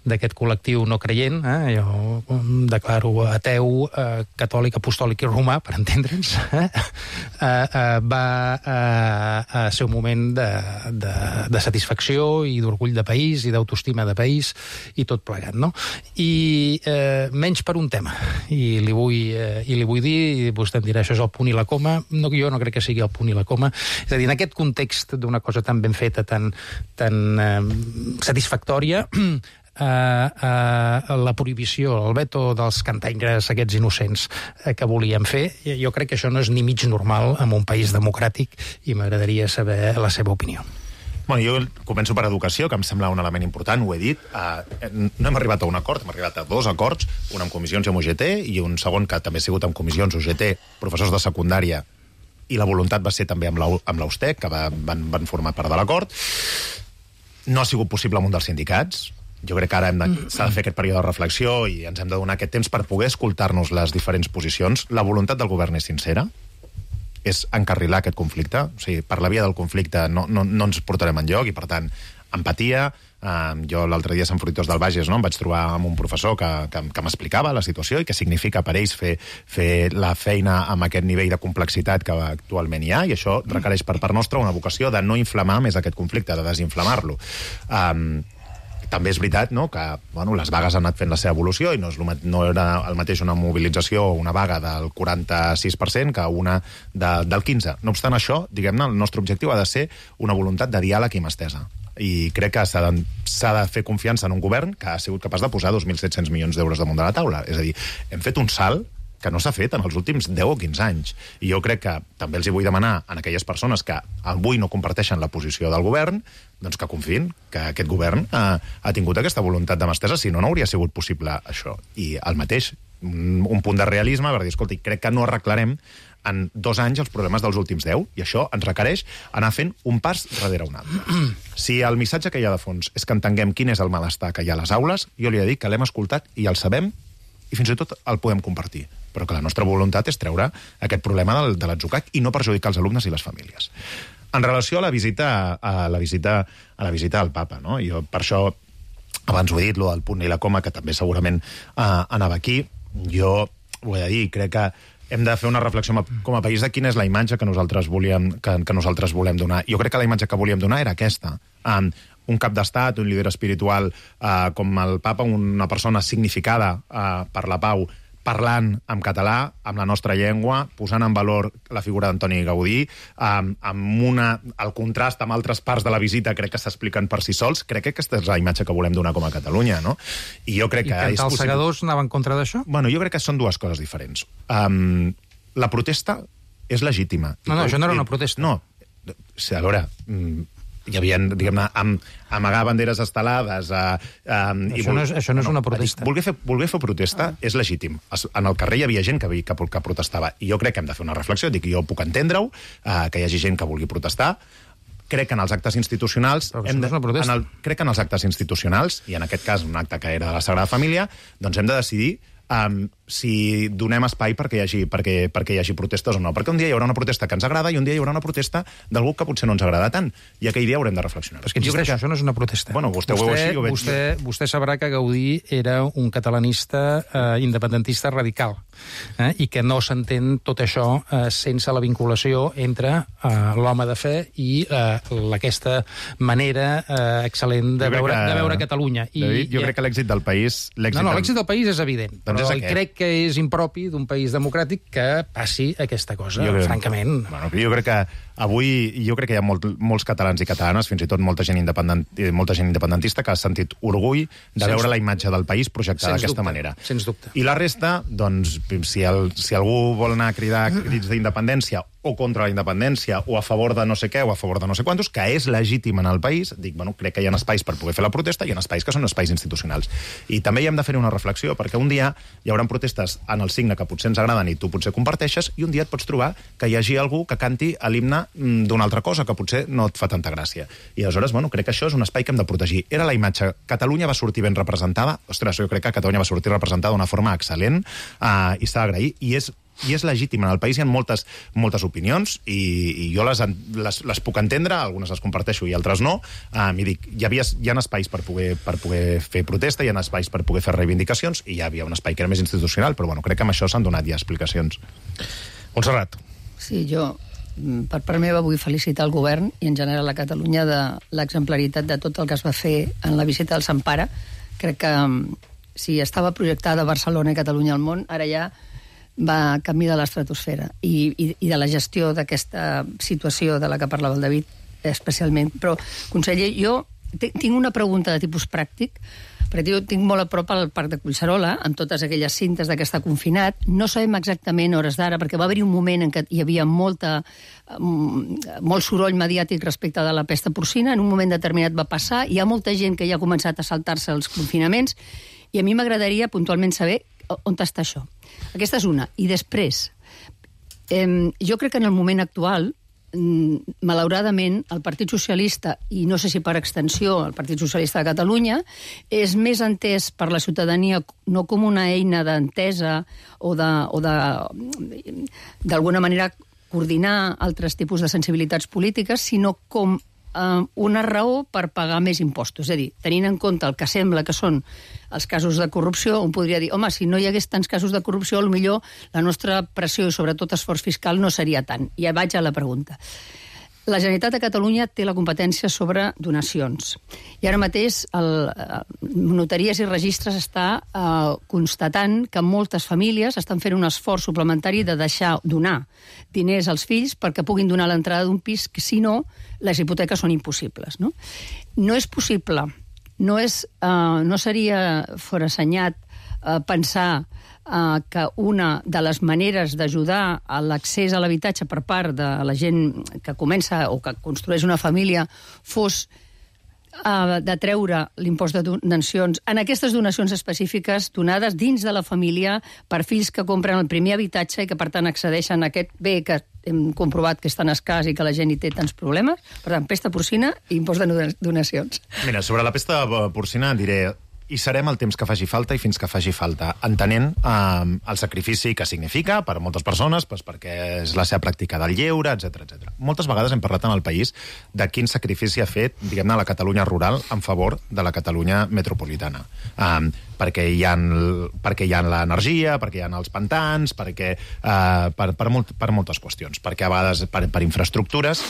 d'aquest col·lectiu no creient, eh, jo declaro ateu, eh, catòlic, apostòlic i romà, per entendre'ns, eh, eh, va eh, ser un moment de, de, de satisfacció i d'orgull de país i d'autoestima de país i tot plegat, no? I eh, menys per un tema, i li vull, eh, i li vull dir, i vostè em dirà, això és el punt i la coma, no, jo no crec que sigui el punt i la coma, és a dir, en aquest context d'una cosa tan ben feta, tan, tan eh, satisfactòria, eh, eh, la prohibició, el veto dels cantaires aquests innocents eh, que volíem fer, jo crec que això no és ni mig normal en un país democràtic i m'agradaria saber la seva opinió. Bueno, jo començo per educació, que em sembla un element important, ho he dit. Uh, no hem arribat a un acord, hem arribat a dos acords, un amb comissions i amb U G T, i un segon que també ha sigut amb comissions U G T, professors de secundària, i la voluntat va ser també amb l'Austec, que va, van, van formar part de l'acord. No ha sigut possible amb un dels sindicats. Jo crec que ara s'ha de fer aquest període de reflexió i ens hem de donar aquest temps per poder escoltar-nos les diferents posicions. La voluntat del govern és sincera, és encarrilar aquest conflicte. O sigui, per la via del conflicte no, no, no ens portarem enlloc i, per tant, empatia. Uh, jo l'altre dia a Sant Fruitós del Bages, no, em vaig trobar amb un professor que, que, que m'explicava la situació i què significa per ells fer, fer la feina amb aquest nivell de complexitat que actualment hi ha, i això requereix per part nostra una vocació de no inflamar més aquest conflicte, de desinflamar-lo. Um, també és veritat, no, que bueno, les vagues han anat fent la seva evolució i no, és, no era el mateix una mobilització o una vaga del quaranta-sis per cent que una de, del quinze per cent. No obstant això, diguem-ne, el nostre objectiu ha de ser una voluntat de diàleg i mà estesa. I crec que s'ha de, s'ha de fer confiança en un govern que ha sigut capaç de posar dos mil set-cents milions d'euros damunt de la taula. És a dir, hem fet un salt que no s'ha fet en els últims deu o quinze anys. I jo crec que també els hi vull demanar a aquelles persones que avui no comparteixen la posició del govern, doncs que confiïn que aquest govern ha, ha tingut aquesta voluntat de mà estesa, si no, no hauria sigut possible això. I el mateix, un, un punt de realisme per dir, escolta, crec que no arreglarem en dos anys els problemes dels últims deu, i això ens requereix anar fent un pas darrere un altre. Si el missatge que hi ha de fons és que entenguem quin és el malestar que hi ha a les aules, jo li he de dir que l'hem escoltat i el sabem, i fins i tot el podem compartir. Però que la nostra voluntat és treure aquest problema del, de l'atzucac i no perjudicar els alumnes i les famílies. En relació a la visita a la visita, a la visita al papa, no? Jo per això, abans ho he dit, lo del punt i la coma, que també segurament uh, anava aquí, jo ho he de dir, crec que hem de fer una reflexió com a país de quina és la imatge que nosaltres volíem, que, que nosaltres volem donar. Jo crec que la imatge que volíem donar era aquesta. Um, un cap d'estat, un líder espiritual uh, com el papa, una persona significada uh, per la pau, parlant en català, amb la nostra llengua, posant en valor la figura d'Antoni Gaudí, um, amb una, el contrast amb altres parts de la visita crec que s'expliquen per si sols. Crec que aquesta és la imatge que volem donar com a Catalunya, no? I jo crec I que... I cantar els segadors anava en contra d'això? Bueno, jo crec que són dues coses diferents. Um, la protesta és legítima. No, no, això no era una protesta. No, a veure... hi havia, diguem-ne, am, amagar banderes estelades... Uh, um, això, i vol... no és, això no és una protesta. Voler fer, voler fer protesta ah. és legítim. En el carrer hi havia gent que, que, que protestava, i jo crec que hem de fer una reflexió. Dic, jo puc entendre-ho, uh, que hi hagi gent que vulgui protestar. Crec que en els actes institucionals... Hem de, no en el, crec que en els actes institucionals, i en aquest cas un acte que era de la Sagrada Família, doncs hem de decidir Um, si donem espai perquè hi, hagi, perquè, perquè hi hagi protestes o no. Perquè un dia hi haurà una protesta que ens agrada i un dia hi haurà una protesta d'algú que potser no ens agrada tant. I aquell dia haurem de reflexionar. Però és que jo crec que això no és una protesta. Bueno, vostè, vostè, ho veu així, ho veig... vostè, vostè sabrà que Gaudí era un catalanista eh, independentista radical, eh, i que no s'entén tot això eh, sense la vinculació entre eh, l'home de fe i eh, aquesta manera eh, excel·lent de veure, que, de veure Catalunya. I, David, jo i, crec que l'èxit del país... No, no, l'èxit del país és evident. Doncs però és crec que és impropi d'un país democràtic que passi aquesta cosa, jo crec, francament. Bueno, jo crec que avui jo crec que hi ha molt, molts catalans i catalanes, fins i tot molta gent, independent, molta gent independentista que ha sentit orgull de sens veure la imatge del país projectada d'aquesta manera. Sens dubte. I la resta, doncs, si, el, si algú vol anar a cridar crits d'independència o contra la independència, o a favor de no sé què, o a favor de no sé quantos, que és legítim en el país, dic, bueno, crec que hi ha espais per poder fer la protesta, i hi ha espais que són espais institucionals. I també hi hem de fer una reflexió, perquè un dia hi haurà protestes en el signe que potser ens agraden i tu potser comparteixes, i un dia et pots trobar que hi hagi algú que canti l'himne d'una altra cosa, que potser no et fa tanta gràcia. I aleshores, bueno, crec que això és un espai que hem de protegir. Era la imatge. Catalunya va sortir ben representada. Ostres, jo crec que Catalunya va sortir representada d'una forma excel·lent, uh, i s'ha d'agrair, i és i és legítim. En el país hi ha moltes, moltes opinions i, i jo les, les, les puc entendre, algunes les comparteixo i altres no. Um, i dic, hi, havia, hi ha espais per poder, per poder fer protesta, hi ha espais per poder fer reivindicacions, i hi havia un espai que era més institucional, però bueno, crec que amb això s'han donat ja explicacions. Montserrat. Sí, jo per part meva vull felicitar el govern i en general a Catalunya de l'exemplaritat de tot el que es va fer en la visita del Sant Pare. Crec que si estava projectada Barcelona i Catalunya al món, ara ja va camí de l'estratosfera i, i, i de la gestió d'aquesta situació de la que parlava el David especialment. Però, conseller, jo tinc una pregunta de tipus pràctic, perquè jo tinc molt a prop al Parc de Collserola, amb totes aquelles cintes d'aquesta confinat. No sabem exactament hores d'ara, perquè va haver-hi un moment en què hi havia molta, molt soroll mediàtic respecte de la pesta porcina, en un moment determinat va passar, hi ha molta gent que ja ha començat a saltar-se els confinaments, i a mi m'agradaria puntualment saber on està això. Aquesta és una. I després, eh, jo crec que en el moment actual, malauradament, el Partit Socialista, i no sé si per extensió el Partit Socialista de Catalunya, és més entès per la ciutadania no com una eina d'entesa o de, o de, d'alguna manera coordinar altres tipus de sensibilitats polítiques, sinó com eh, una raó per pagar més impostos. És a dir, tenint en compte el que sembla que són els casos de corrupció, un podria dir, home, si no hi hagués tants casos de corrupció, potser la nostra pressió i sobretot esforç fiscal no seria tant. I ja vaig a la pregunta. La Generalitat de Catalunya té la competència sobre donacions. I ara mateix el, Notaries i Registres està eh, constatant que moltes famílies estan fent un esforç suplementari de deixar donar diners als fills perquè puguin donar l'entrada d'un pis, que si no, les hipoteques són impossibles. No, no és possible, no, és, eh, no seria forassenyat eh, pensar Uh, que una de les maneres d'ajudar a l'accés a l'habitatge per part de la gent que comença o que construeix una família fos uh, de treure l'impost de donacions en aquestes donacions específiques donades dins de la família per fills que compren el primer habitatge i que per tant accedeixen a aquest bé que hem comprovat que és tan escàs i que la gent hi té tants problemes. Per tant, pesta porcina i impost de donacions. Mira, sobre la pesta porcina diré i serem el temps que faci falta i fins que faci falta, entenent eh, el sacrifici que significa per a moltes persones, pues, perquè és la seva pràctica del lleure, etcètera, etcètera. Moltes vegades hem parlat en el país de quin sacrifici ha fet, diguem-ne, la Catalunya rural en favor de la Catalunya metropolitana. Eh, perquè hi ha, perquè hi ha l'energia, perquè hi ha els pantans, perquè, eh, per, per, molt, per moltes qüestions, perquè a vegades per, per infraestructures.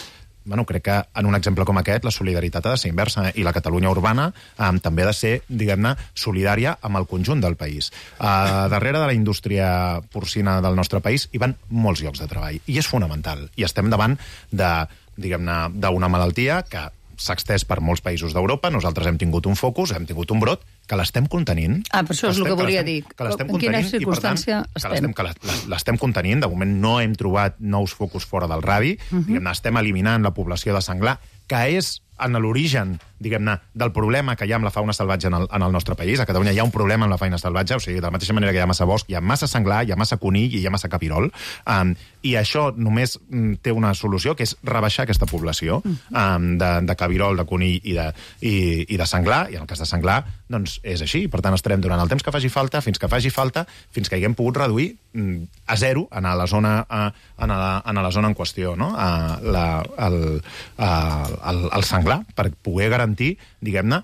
Bueno, crec que en un exemple com aquest la solidaritat ha de ser inversa i la Catalunya urbana eh, també ha de ser, diguem-ne, solidària amb el conjunt del país. Eh, darrere de la indústria porcina del nostre país hi van molts llocs de treball i és fonamental. I estem davant de, diguem-ne, d'una malaltia que s'ha extès per molts països d'Europa. Nosaltres hem tingut un focus, hem tingut un brot, que l'estem contenint. Ah, per això és el que volia dir. En quina circumstància estem? Que l'estem contenint. De moment no hem trobat nous focus fora del radi. Uh -huh. Estem eliminant la població de senglar, que és en l'origen, diguem-ne, del problema que hi ha amb la fauna salvatge en el, en el nostre país. A Catalunya hi ha un problema amb la fauna salvatge, o sigui, de la mateixa manera que hi ha massa bosc, hi ha massa senglar, hi ha massa conill i hi ha massa capirol. Um, I això només um, té una solució, que és rebaixar aquesta població um, de, de cabirol, de conill i de, i, i de senglar, i en el cas de senglar, doncs és així. Per tant, estarem durant el temps que faci falta, fins que faci falta, fins que haguem pogut reduir um, a zero en la zona, uh, en la, en la zona en qüestió, no? Uh, la, el, uh, el, el senglar, per poder garantir, diguem-ne,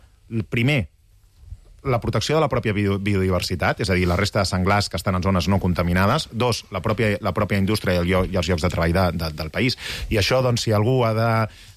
primer, la protecció de la pròpia biodiversitat, és a dir, la resta de senglars que estan en zones no contaminades. Dos, la pròpia, la pròpia indústria i, el lloc, i els llocs de treball de, de, del país. I això, doncs, si algú ha de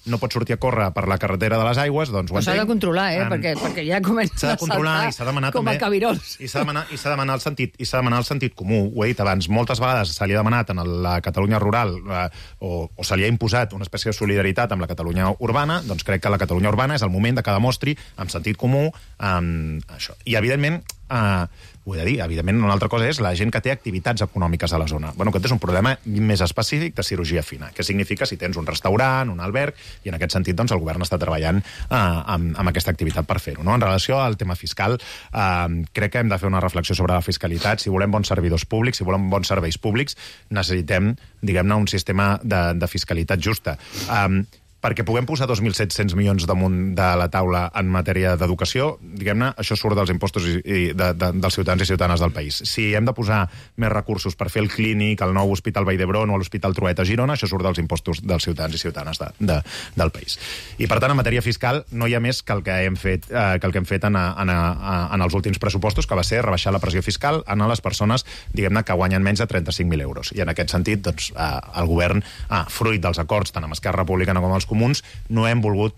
no pot sortir a córrer per la carretera de les aigües, doncs ho entenc. S'ha de controlar, eh? Um, perquè, perquè ja comença a saltar com a cabirols. I s'ha de demanar, i s'ha de demanar el sentit, i s'ha de demanar el sentit comú. Ho he dit abans, moltes vegades se li ha demanat en la Catalunya rural eh, o, o se li ha imposat una espècie de solidaritat amb la Catalunya urbana, doncs crec que la Catalunya urbana és el moment de que demostri amb sentit comú um, això. I, evidentment, eh, ho he de dir, evidentment, una altra cosa és la gent que té activitats econòmiques a la zona. Bueno, aquest és un problema més específic de cirurgia fina, que significa si tens un restaurant, un alberg, i en aquest sentit doncs, el govern està treballant eh, amb, amb aquesta activitat per fer-ho. No? En relació al tema fiscal, eh, crec que hem de fer una reflexió sobre la fiscalitat. Si volem bons servidors públics, si volem bons serveis públics, necessitem, diguem-ne, un sistema de, de fiscalitat justa. Eh, perquè puguem posar dos mil set-cents milions damunt de la taula en matèria d'educació, diguem-ne, això surt dels impostos i, i de, de, dels ciutadans i ciutadanes del país. Si hem de posar més recursos per fer el clínic, el nou Hospital Vall d'Hebron o l'Hospital Trueta a Girona, això surt dels impostos dels ciutadans i ciutadanes de, de, del país. I, per tant, en matèria fiscal no hi ha més que el que hem fet, eh, que el que hem fet en, a, en, a, en els últims pressupostos, que va ser rebaixar la pressió fiscal en les persones, diguem-ne, que guanyen menys de trenta-cinc mil euros. I en aquest sentit, doncs, eh, el govern, eh, fruit dels acords tant amb Esquerra Republicana com amb els comuns, no hem volgut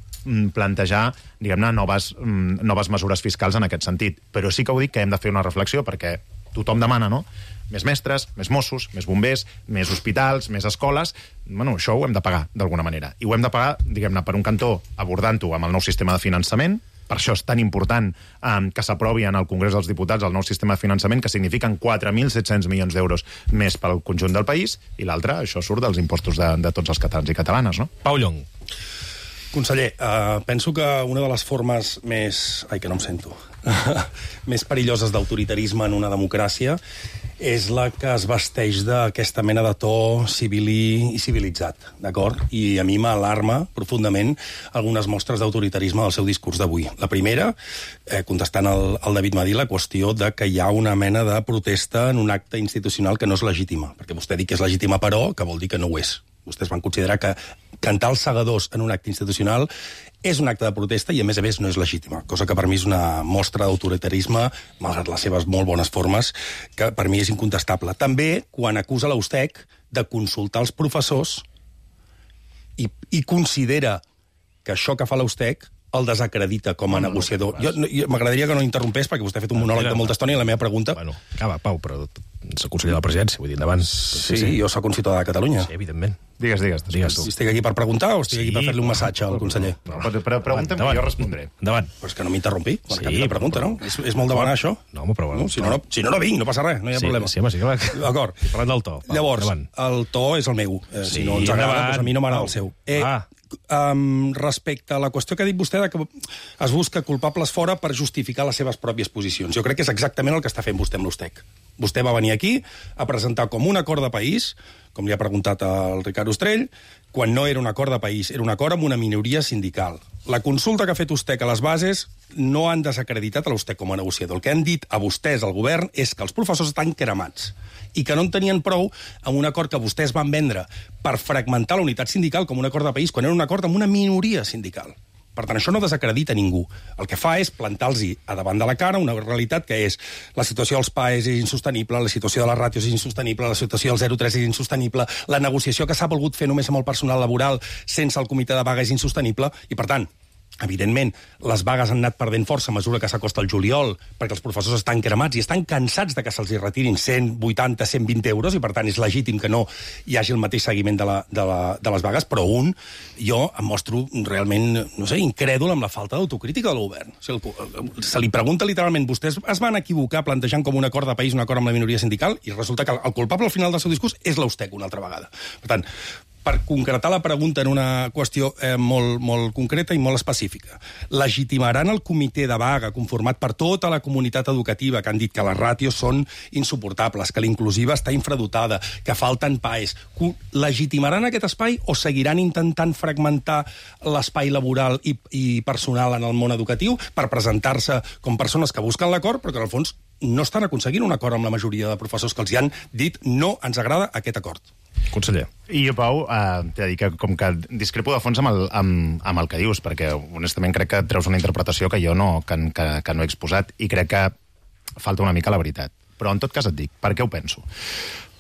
plantejar, diguem-ne, noves, noves mesures fiscals en aquest sentit. Però sí que ho dic que hem de fer una reflexió perquè tothom demana, no? Més mestres, més Mossos, més bombers, més hospitals, més escoles. Bueno, això ho hem de pagar, d'alguna manera. I ho hem de pagar, diguem-ne, per un cantó, abordant-ho amb el nou sistema de finançament. Per això és tan important um, que s'aprovi en el Congrés dels Diputats el nou sistema de finançament, que signifiquen quatre mil set-cents milions d'euros més pel conjunt del país, i l'altre, això surt dels impostos de, de tots els catalans i catalanes, no? Pau Llong. Conseller, uh, penso que una de les formes més... Ai, que no em sento. més perilloses d'autoritarisme en una democràcia és la que es vesteix d'aquesta mena de to civil i civilitzat, d'acord? I a mi m'alarma profundament algunes mostres d'autoritarisme del seu discurs d'avui. La primera, eh, contestant al, al David Madí, la qüestió de que hi ha una mena de protesta en un acte institucional que no és legítima, perquè vostè diu que és legítima però, que vol dir que no ho és. Vostès van considerar que cantar els segadors en un acte institucional és un acte de protesta i, a més a més, no és legítima, cosa que per mi és una mostra d'autoritarisme, malgrat les seves molt bones formes, que per mi és incontestable. També quan acusa l'Eustec de consultar els professors i, i considera que això que fa l'Eustec el desacredita com a no, negociador. No, no, jo, m'agradaria que no interrompés, perquè vostè ha fet un monòleg de molta estona i la meva pregunta... Bueno, acaba, Pau, però s'ha conseller de la presidència, vull dir, endavant. Sí, sí, jo soc un ciutadà de Catalunya. Sí, evidentment. Digues, digues. digues tu. Estic aquí per preguntar o estic sí, aquí per fer-li un massatge al conseller? No, però pregunta'm que jo respondré. Endavant. Però és que no m'interrompi, quan sí, la pregunta, no? És, és molt demanar, això? No, home, però bueno. No, si, no, no, si no, no vinc, no passa res, no hi ha sí, problema. Sí, home, sí que... D'acord. Parlant del to. Llavors, el to és el meu. Eh, sí, si no ens agrada, doncs a mi no m'agrada el seu. Eh, ah. Um, respecte a la qüestió que ha dit vostè de que es busca culpables fora per justificar les seves pròpies posicions. Jo crec que és exactament el que està fent vostè amb l'Eustec. Vostè va venir aquí a presentar com un acord de país, com li ha preguntat al Ricard Ostrell, quan no era un acord de país, era un acord amb una minoria sindical. La consulta que ha fet Eustec a les bases no han desacreditat a l'Eustec com a negociador. El que han dit a vostès, al govern, és que els professors estan cremats i que no en tenien prou amb un acord que vostès van vendre per fragmentar la unitat sindical com un acord de país, quan era un acord amb una minoria sindical. Per tant, això no desacredita ningú. El que fa és plantar-los a davant de la cara una realitat que és la situació dels P A E és insostenible, la situació de les ràtios és insostenible, la situació del zero tres és insostenible, la negociació que s'ha volgut fer només amb el personal laboral sense el comitè de vaga és insostenible, i per tant, evidentment, les vagues han anat perdent força a mesura que s'acosta el juliol, perquè els professors estan cremats i estan cansats de que se'ls retirin cent vuitanta, cent vint euros, i per tant és legítim que no hi hagi el mateix seguiment de, la, de, la, de les vagues, però un, jo em mostro realment, no sé, incrèdul amb la falta d'autocrítica del govern. O sigui, el, se li pregunta literalment, vostès es van equivocar plantejant com un acord de país un acord amb la minoria sindical, i resulta que el culpable al final del seu discurs és l'Eustec una altra vegada. Per tant, per concretar la pregunta en una qüestió eh, molt, molt concreta i molt específica. Legitimaran el comitè de vaga conformat per tota la comunitat educativa que han dit que les ràtios són insuportables, que l'inclusiva està infradotada, que falten P A Es. Legitimaran aquest espai o seguiran intentant fragmentar l'espai laboral i, i personal en el món educatiu per presentar-se com persones que busquen l'acord, però que en el fons no estan aconseguint un acord amb la majoria de professors que els hi han dit no ens agrada aquest acord? Conseller. I jo, Pau, eh, t'he de dir que com que discrepo de fons amb el, amb, amb el que dius, perquè honestament crec que treus una interpretació que jo no, que, que, que no he exposat, i crec que falta una mica la veritat. Però en tot cas et dic, per què ho penso?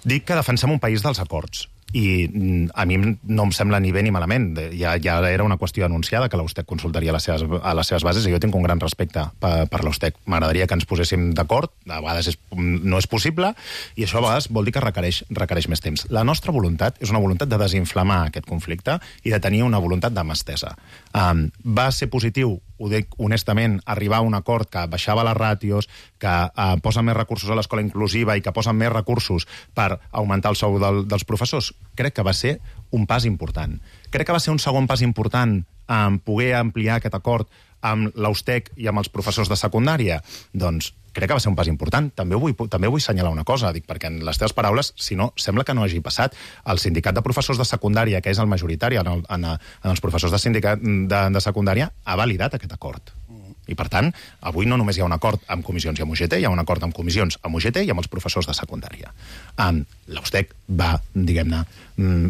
Dic que defensem un país dels acords, i a mi no em sembla ni bé ni malament. Ja, ja era una qüestió anunciada que l'Eustec consultaria a les seves, a les seves bases, i jo tinc un gran respecte per, per l'Eustec. M'agradaria que ens poséssim d'acord, a vegades és, no és possible, i això a vegades vol dir que requereix, requereix més temps. La nostra voluntat és una voluntat de desinflamar aquest conflicte i de tenir una voluntat de mà estesa. Um, va ser positiu, ho dic honestament, arribar a un acord que baixava les ràtios, que uh, posa més recursos a l'escola inclusiva i que posa més recursos per augmentar el sou del, dels professors. Crec que va ser un pas important. Crec que va ser un segon pas important en poder ampliar aquest acord amb l'Eustec i amb els professors de secundària. Doncs crec que va ser un pas important. També vull, també vull assenyalar una cosa, dic, perquè en les teves paraules, si no, sembla que no hagi passat. El sindicat de professors de secundària, que és el majoritari en, el, en, en els professors de sindicat de, de secundària, ha validat aquest acord. I, per tant, avui no només hi ha un acord amb comissions i amb U G T, hi ha un acord amb comissions amb U G T i amb els professors de secundària. Um, L'Eustec va, diguem-ne,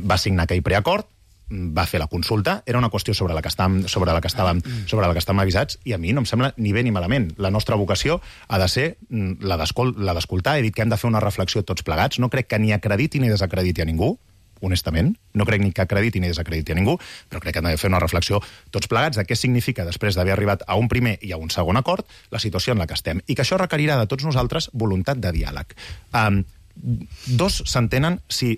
va signar aquell preacord, va fer la consulta, era una qüestió sobre la que estàvem, sobre la que estàvem, sobre la que estàvem avisats, i a mi no em sembla ni bé ni malament. La nostra vocació ha de ser la d'escoltar. He dit que hem de fer una reflexió tots plegats. No crec que ni acrediti ni desacrediti a ningú, honestament. No crec ni que acrediti ni desacrediti a ningú, però crec que hem de fer una reflexió tots plegats de què significa, després d'haver arribat a un primer i a un segon acord, la situació en la que estem. I que això requerirà de tots nosaltres voluntat de diàleg. Um, dos s'entenen si,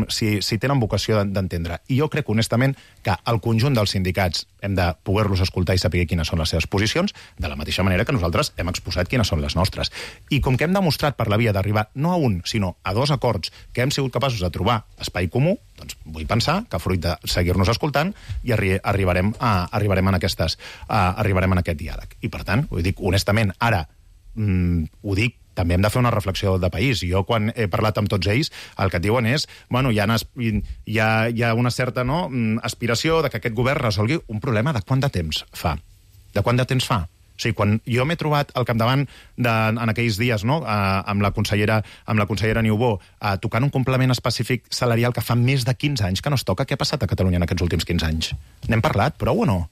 si, si tenen vocació d'entendre. I jo crec, honestament, que el conjunt dels sindicats hem de poder-los escoltar i saber quines són les seves posicions, de la mateixa manera que nosaltres hem exposat quines són les nostres. I com que hem demostrat per la via d'arribar no a un, sinó a dos acords que hem sigut capaços de trobar espai comú, doncs vull pensar que fruit de seguir-nos escoltant i arri arribarem, a, arribarem, en aquestes, a, arribarem en aquest diàleg. I per tant, ho dic honestament, ara mm, ho dic, també hem de fer una reflexió de país. Jo, quan he parlat amb tots ells, el que et diuen és, bueno, hi ha, hi ha, hi ha una certa no, aspiració de que aquest govern resolgui un problema de quant de temps fa. De quant de temps fa? O sigui, quan jo m'he trobat al capdavant de, en aquells dies, no?, amb la consellera, amb la consellera Niubó, tocant un complement específic salarial que fa més de quinze anys que no es toca, què ha passat a Catalunya en aquests últims quinze anys? N'hem parlat, prou o no?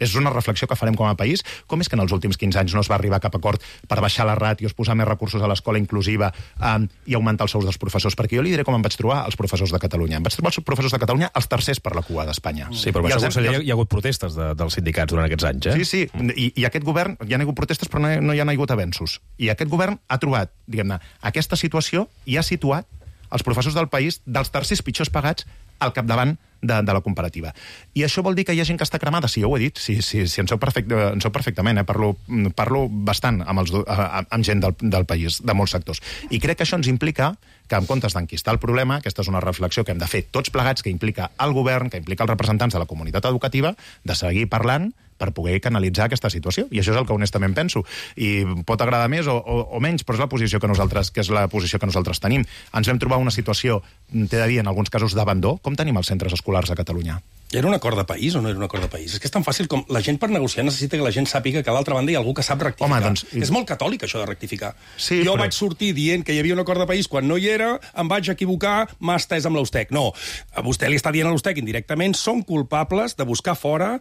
És una reflexió que farem com a país. Com és que en els últims quinze anys no es va arribar a cap acord per baixar les ràtios, posar més recursos a l'escola inclusiva um, i augmentar els sous dels professors? Perquè jo li diré com em vaig trobar els professors de Catalunya. Em vaig trobar els professors de Catalunya els tercers per la cua d'Espanya. Sí, però per això, conseller, hi ha hagut protestes de, dels sindicats durant aquests anys, eh? Sí, sí, I, i aquest govern, hi ha hagut protestes però no, no hi ha hagut avenços. I aquest govern ha trobat, diguem-ne, aquesta situació i ha situat els professors del país dels tercers pitjors pagats al capdavant de, de la comparativa. I això vol dir que hi ha gent que està cremada? Sí, jo ho he dit, sí, sí, sí, en, sou perfecte, en sou perfectament, eh? parlo, parlo bastant amb, els, amb gent del, del país, de molts sectors. I crec que això ens implica que en comptes d'enquistar el problema, aquesta és una reflexió que hem de fer tots plegats, que implica el govern, que implica els representants de la comunitat educativa, de seguir parlant per poder canalitzar aquesta situació. I això és el que honestament penso. I pot agradar més o, o, o menys, però és la posició que nosaltres, que és la posició que nosaltres tenim. Ens vam trobar una situació, t'he de dir, en alguns casos d'abandó. Com tenim els centres escolars a Catalunya? Era un acord de país o no era un acord de país? És que és tan fàcil com la gent per negociar necessita que la gent sàpiga que a l'altra banda hi ha algú que sap rectificar. Home, doncs... És molt catòlic, això de rectificar. Sí, jo però... vaig sortir dient que hi havia un acord de país quan no hi era, em vaig equivocar, m'ha estès amb l'Eustec. No, a vostè li està dient a l'Eustec indirectament, són culpables de buscar fora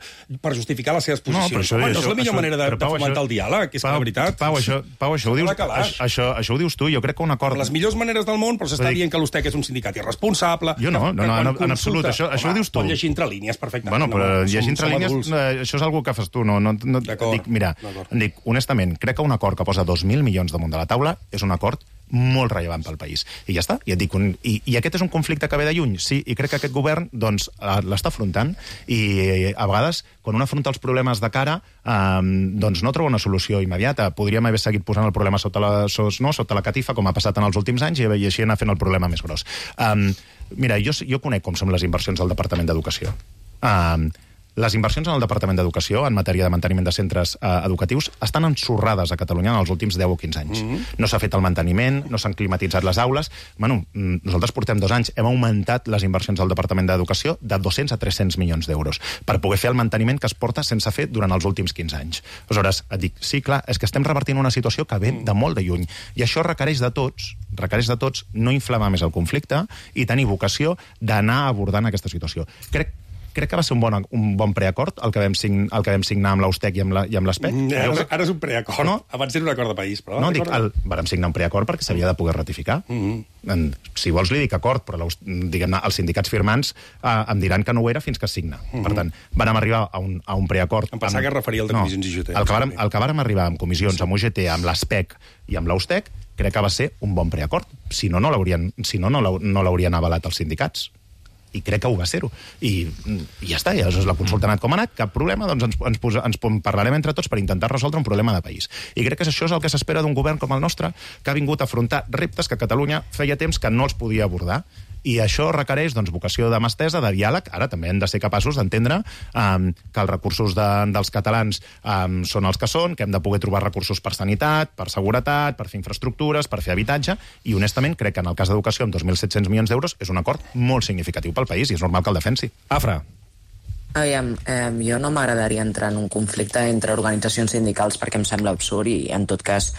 per justificar les seves posicions. No, això, Home, no és la millor això, manera de, Pau, de fomentar això, el diàleg, és Pau, que la veritat... Pau, això, Pau, això, ho dius, això, això, això ho dius tu, jo crec que un acord... Les millors maneres del món, però s'està dient que l'Eustec és un sindicat irresponsable... Jo no, no, no, en, en absolut, això, això ho dius tu. Pot llegir entre línies, perfectament. Bueno, però llegir entre línies, això és algo que fas tu. No, no, no, dic, mira, dic, honestament, crec que un acord que posa dos mil milions damunt de la taula és un acord molt rellevant pel país. I ja està. I, et dic, un, i, i aquest és un conflicte que ve de lluny, sí, i crec que aquest govern doncs, l'està afrontant i a vegades, quan un afronta els problemes de cara, eh, doncs no troba una solució immediata. Podríem haver seguit posant el problema sota la, sos, no, sota la catifa, com ha passat en els últims anys, i, i així anar fent el problema més gros. Um, mira, jo, jo conec com són les inversions del Departament d'Educació. Um, Les inversions en el Departament d'Educació en matèria de manteniment de centres eh, educatius estan ensorrades a Catalunya en els últims deu o quinze anys. Mm-hmm. No s'ha fet el manteniment, no s'han climatitzat les aules. Bueno, nosaltres portem dos anys, hem augmentat les inversions del Departament d'Educació de dos-cents a tres-cents milions d'euros per poder fer el manteniment que es porta sense fer durant els últims quinze anys. Aleshores, et dic, sí, clar, és que estem revertint una situació que ve de molt de lluny. I això requereix de tots, requereix de tots no inflamar més el conflicte i tenir vocació d'anar abordant aquesta situació. Crec Crec que va ser un bon, un bon preacord el que vam, sign, el que vam signar amb l'Eustec i amb l'Espec. Mm, ara, ara és un preacord. No? Abans era un acord de país. Però no, dic, el, vam signar un preacord perquè s'havia de poder ratificar. Mm-hmm. en, si vols li dic acord, però diguem-ne, els sindicats firmants eh, em diran que no ho era fins que es signa. Mm-hmm. Per tant, vam arribar a un, a un preacord... Em pensava amb... que es referia al de comissions no, I G T. El que, vàrem, el que vàrem arribar amb comissions, sí. amb U G T, amb l'Espec i amb l'Eustec, crec que va ser un bon preacord. Si no, no l'haurien si no, no l'haurien avalat els sindicats. I crec que ho va ser-ho. I, i ja està, ja és la consulta ha anat com ha anat, cap problema, doncs ens, ens, posa, ens parlarem entre tots per intentar resoldre un problema de país. I crec que això és el que s'espera d'un govern com el nostre, que ha vingut a afrontar reptes que Catalunya feia temps que no els podia abordar. I això requereix doncs, vocació de mà estesa, de diàleg. Ara també hem de ser capaços d'entendre um, que els recursos de, dels catalans um, són els que són, que hem de poder trobar recursos per sanitat, per seguretat, per fer infraestructures, per fer habitatge, i honestament crec que en el cas d'educació amb dos mil set-cents milions d'euros és un acord molt significatiu pel país i és normal que el defensi. Afra. Aviam, eh, jo no m'agradaria entrar en un conflicte entre organitzacions sindicals perquè em sembla absurd i, en tot cas,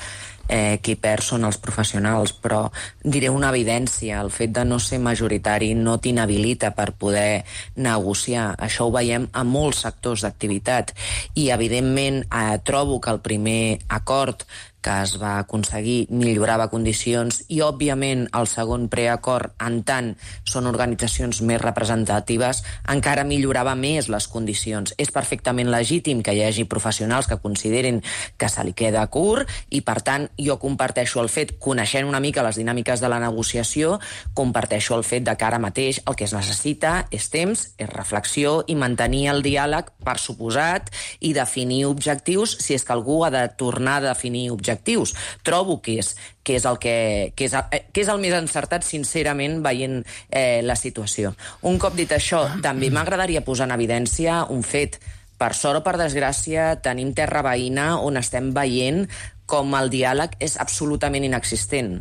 eh, qui perd són els professionals, però diré una evidència, el fet de no ser majoritari no t'inhabilita per poder negociar. Això ho veiem a molts sectors d'activitat i, evidentment, eh, trobo que el primer acord que es va aconseguir millorava condicions i, òbviament, el segon preacord, en tant són organitzacions més representatives, encara millorava més les condicions. És perfectament legítim que hi hagi professionals que considerin que se li queda curt i, per tant, jo comparteixo el fet, coneixent una mica les dinàmiques de la negociació, comparteixo el fet de que ara mateix el que es necessita és temps, és reflexió i mantenir el diàleg, per suposat, i definir objectius si és que algú ha de tornar a definir objectius objectius. Trobo que és, que és, el, que, que és, que és el més encertat, sincerament, veient eh, la situació. Un cop dit això, també m'agradaria posar en evidència un fet. Per sort o per desgràcia, tenim terra veïna on estem veient com el diàleg és absolutament inexistent.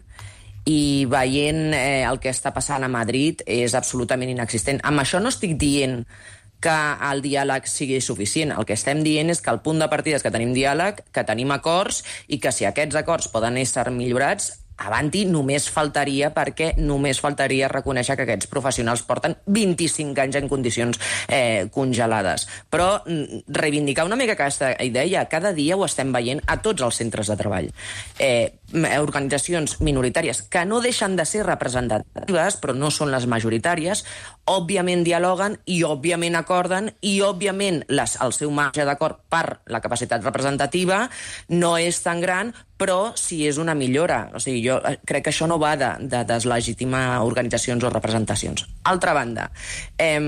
I veient eh, el que està passant a Madrid és absolutament inexistent. Amb això no estic dient que el diàleg sigui suficient. El que estem dient és que el punt de partida és que tenim diàleg, que tenim acords, i que si aquests acords poden ésser millorats, avanti, només faltaria, perquè només faltaria reconèixer que aquests professionals porten vint-i-cinc anys en condicions eh, congelades. Però reivindicar una mica aquesta idea, cada dia ho estem veient a tots els centres de treball. Eh, organitzacions minoritàries que no deixen de ser representatives, però no són les majoritàries, òbviament dialoguen i òbviament acorden i òbviament les, el seu marge d'acord per la capacitat representativa no és tan gran, però sí és una millora. O sigui, jo crec que això no va de, de deslegitimar organitzacions o representacions. Altra banda, eh,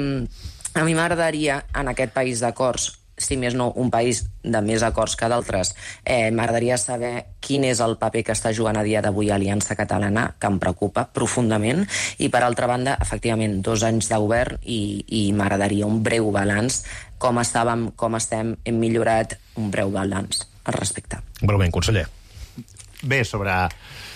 a mi m'agradaria, en aquest país d'acords, si més no, un país de més acords que d'altres, eh, m'agradaria saber quin és el paper que està jugant a dia d'avui Aliança Catalana, que em preocupa profundament, i per altra banda, efectivament, dos anys de govern i, i m'agradaria un breu balanç, com estàvem, com estem, hem millorat, un breu balanç al respecte. Breument, conseller. Bé, sobre...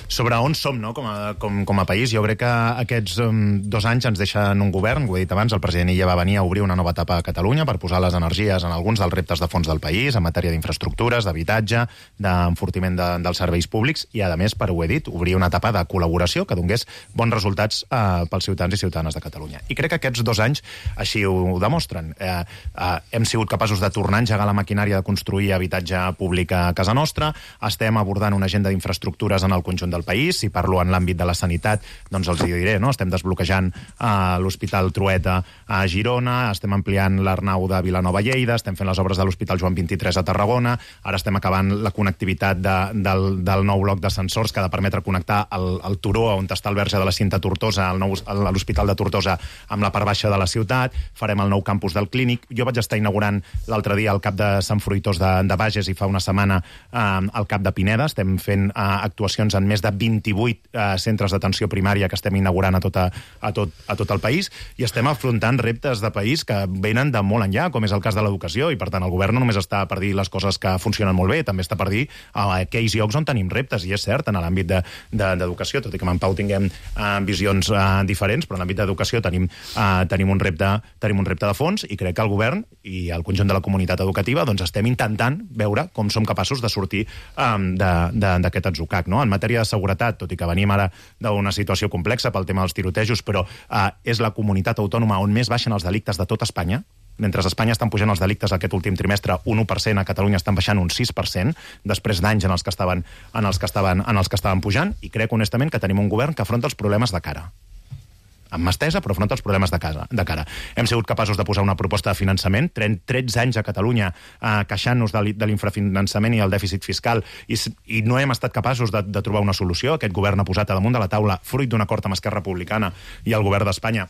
sobre on som, no?, com a, com, com a país. Jo crec que aquests um, dos anys ens deixen un govern, ho he dit abans, el president Illa va venir a obrir una nova etapa a Catalunya per posar les energies en alguns dels reptes de fons del país, en matèria d'infraestructures, d'habitatge, d'enfortiment de, dels serveis públics, i, a més, per ho he dit, obrir una etapa de col·laboració que donés bons resultats eh, pels ciutadans i ciutadanes de Catalunya. I crec que aquests dos anys així ho, ho demostren. Eh, eh, hem sigut capaços de tornar a engegar la maquinària de construir habitatge públic a casa nostra, estem abordant una agenda d'infraestructures en el conjunt del país. Si parlo en l'àmbit de la sanitat, doncs els hi diré, no? Estem desbloquejant uh, l'Hospital Trueta a Girona, estem ampliant l'Arnau de Vilanova a Lleida, estem fent les obres de l'Hospital Joan vint-i-tres a Tarragona, ara estem acabant la connectivitat de, del, del nou bloc d'ascensors que ha de permetre connectar el, el turó on està el verge de la Cinta Tortosa, el nou, a l'Hospital de Tortosa, amb la part baixa de la ciutat, farem el nou campus del Clínic. Jo vaig estar inaugurant l'altre dia el cap de Sant Fruitós de, de Bages i fa una setmana uh, el cap de Pineda. Estem fent uh, actuacions en més de vint-i-vuit eh, centres d'atenció primària que estem inaugurant a, tota, a, tot, a tot el país, i estem afrontant reptes de país que venen de molt enllà, com és el cas de l'educació, i per tant el govern no només està per dir les coses que funcionen molt bé, també està per dir a aquells llocs on tenim reptes, i és cert, en l'àmbit d'educació, de, de, tot i que amb en Pau tinguem eh, visions eh, diferents, però en l'àmbit d'educació tenim, eh, tenim, un repte, tenim un repte de fons, i crec que el govern i el conjunt de la comunitat educativa doncs estem intentant veure com som capaços de sortir eh, d'aquest atzucac, no? En matèria de seguretat, tot i que venim ara d'una situació complexa pel tema dels tirotejos, però eh, és la comunitat autònoma on més baixen els delictes de tot Espanya. Mentre a Espanya estan pujant els delictes aquest últim trimestre un u per cent, a Catalunya estan baixant un sis per cent, després d'anys en els que estaven, en els que estaven, en els que estaven pujant, i crec honestament que tenim un govern que afronta els problemes de cara. Amb mà estesa, però afronta els problemes de, casa, de cara. Hem sigut capaços de posar una proposta de finançament, tretze anys a Catalunya eh, queixant-nos de, de l'infrafinançament i el dèficit fiscal, i, i no hem estat capaços de, de trobar una solució. Aquest govern ha posat a damunt de la taula, fruit d'un acord amb Esquerra Republicana i el govern d'Espanya,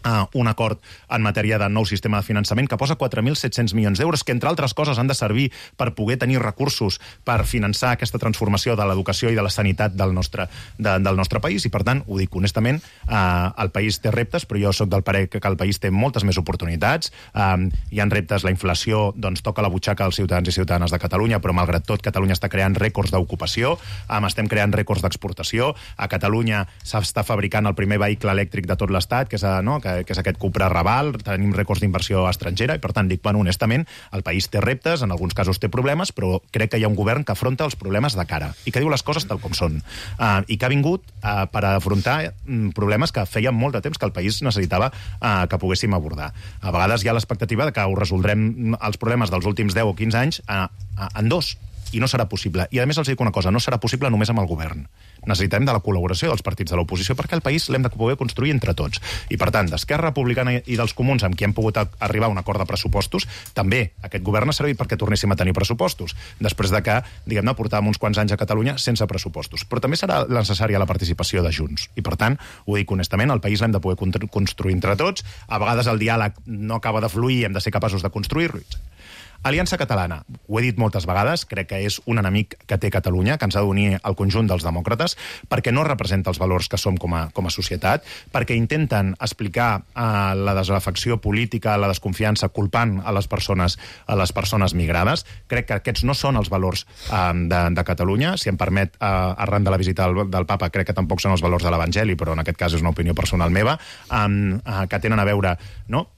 Uh, un acord en matèria de nou sistema de finançament que posa quatre mil set-cents milions d'euros, que entre altres coses han de servir per poder tenir recursos per finançar aquesta transformació de l'educació i de la sanitat del nostre, de, del nostre país, i per tant, ho dic honestament, uh, el país té reptes, però jo sóc del parer que, que el país té moltes més oportunitats. Um, hi ha reptes, la inflació doncs toca la butxaca dels ciutadans i ciutadanes de Catalunya, però malgrat tot Catalunya està creant rècords d'ocupació, um, estem creant rècords d'exportació. A Catalunya s'està fabricant el primer vehicle elèctric de tot l'Estat, que és, no, que que és aquest Cupra Raval, tenim rècords d'inversió estrangera, i per tant dic, bueno, honestament, el país té reptes, en alguns casos té problemes, però crec que hi ha un govern que afronta els problemes de cara i que diu les coses tal com són, uh, i que ha vingut uh, per afrontar um, problemes que feia molt de temps que el país necessitava uh, que poguéssim abordar. A vegades hi ha l'expectativa de que ho resoldrem els problemes dels últims deu o quinze anys uh, uh, en dos, i no serà possible. I a més els dic una cosa, no serà possible només amb el govern. Necessitem de la col·laboració dels partits de l'oposició perquè el país l'hem de poder construir entre tots. I per tant, d'Esquerra Republicana i dels Comuns, amb qui hem pogut arribar a un acord de pressupostos, també aquest govern ha servit perquè tornéssim a tenir pressupostos, després de que, diguem-ne, portàvem uns quants anys a Catalunya sense pressupostos. Però també serà necessària la participació de Junts. I per tant, ho dic honestament, el país l'hem de poder construir entre tots. A vegades el diàleg no acaba de fluir, hem de ser capaços de construir-lo. Aliança Catalana, ho he dit moltes vegades, crec que és un enemic que té Catalunya, que ens ha d'unir al conjunt dels demòcrates, perquè no representa els valors que som com a, com a societat, perquè intenten explicar eh, la desafecció política, la desconfiança, culpant a les persones, a les persones migrades. Crec que aquests no són els valors eh, de, de Catalunya. Si em permet, eh, arran de la visita del, del papa, crec que tampoc són els valors de l'Evangeli, però en aquest cas és una opinió personal meva, eh, eh, que tenen a veure, no?,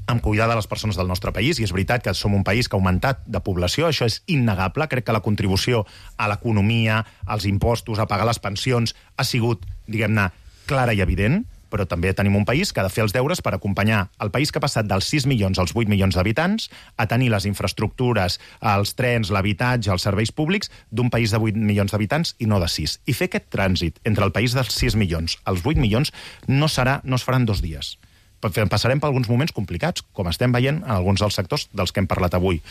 amb cuidar de les persones del nostre país, i és veritat que som un país que ha augmentat de població, això és innegable. Crec que la contribució a l'economia, als impostos, a pagar les pensions, ha sigut, diguem-ne, clara i evident, però també tenim un país que ha de fer els deures per acompanyar el país que ha passat dels sis milions als vuit milions d'habitants a tenir les infraestructures, els trens, l'habitatge, els serveis públics d'un país de vuit milions d'habitants i no de sis. I fer aquest trànsit entre el país dels sis milions als vuit milions no serà, no es farà en dos dies. Passarem per alguns moments complicats, com estem veient en alguns dels sectors dels que hem parlat avui.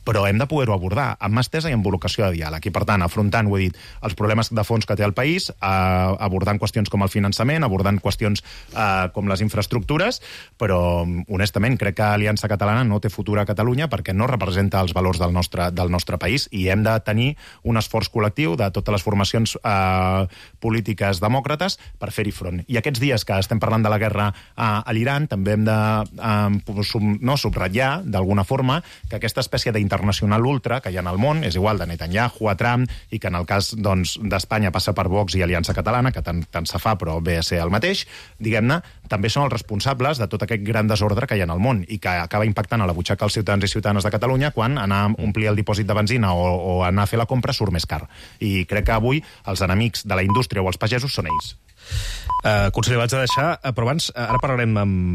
Però hem de poder-ho abordar amb mà estesa i amb vocació de diàleg. I, per tant, afrontant, ho he dit, els problemes de fons que té el país, eh, abordant qüestions com el finançament, abordant qüestions eh, com les infraestructures, però, honestament, crec que Aliança Catalana no té futur a Catalunya perquè no representa els valors del nostre, del nostre país, i hem de tenir un esforç col·lectiu de totes les formacions eh, polítiques demòcrates per fer-hi front. I aquests dies que estem parlant de la guerra eh, a l'Iran, també hem de eh, sub, no, subratllar, d'alguna forma, que aquesta espècie d'intervenció internacional ultra que hi ha en el món, és igual de Netanyahu a Trump, i que en el cas doncs, d'Espanya passa per Vox i Aliança Catalana, que tant, tant se fa, però ve a ser el mateix, diguem-ne, també són els responsables de tot aquest gran desordre que hi ha en el món i que acaba impactant a la butxaca dels ciutadans i ciutadanes de Catalunya quan anar a omplir el dipòsit de benzina o, o anar a fer la compra surt més car. I crec que avui els enemics de la indústria o els pagesos són ells. Uh, conseller, vaig a deixar, però abans, ara parlarem amb,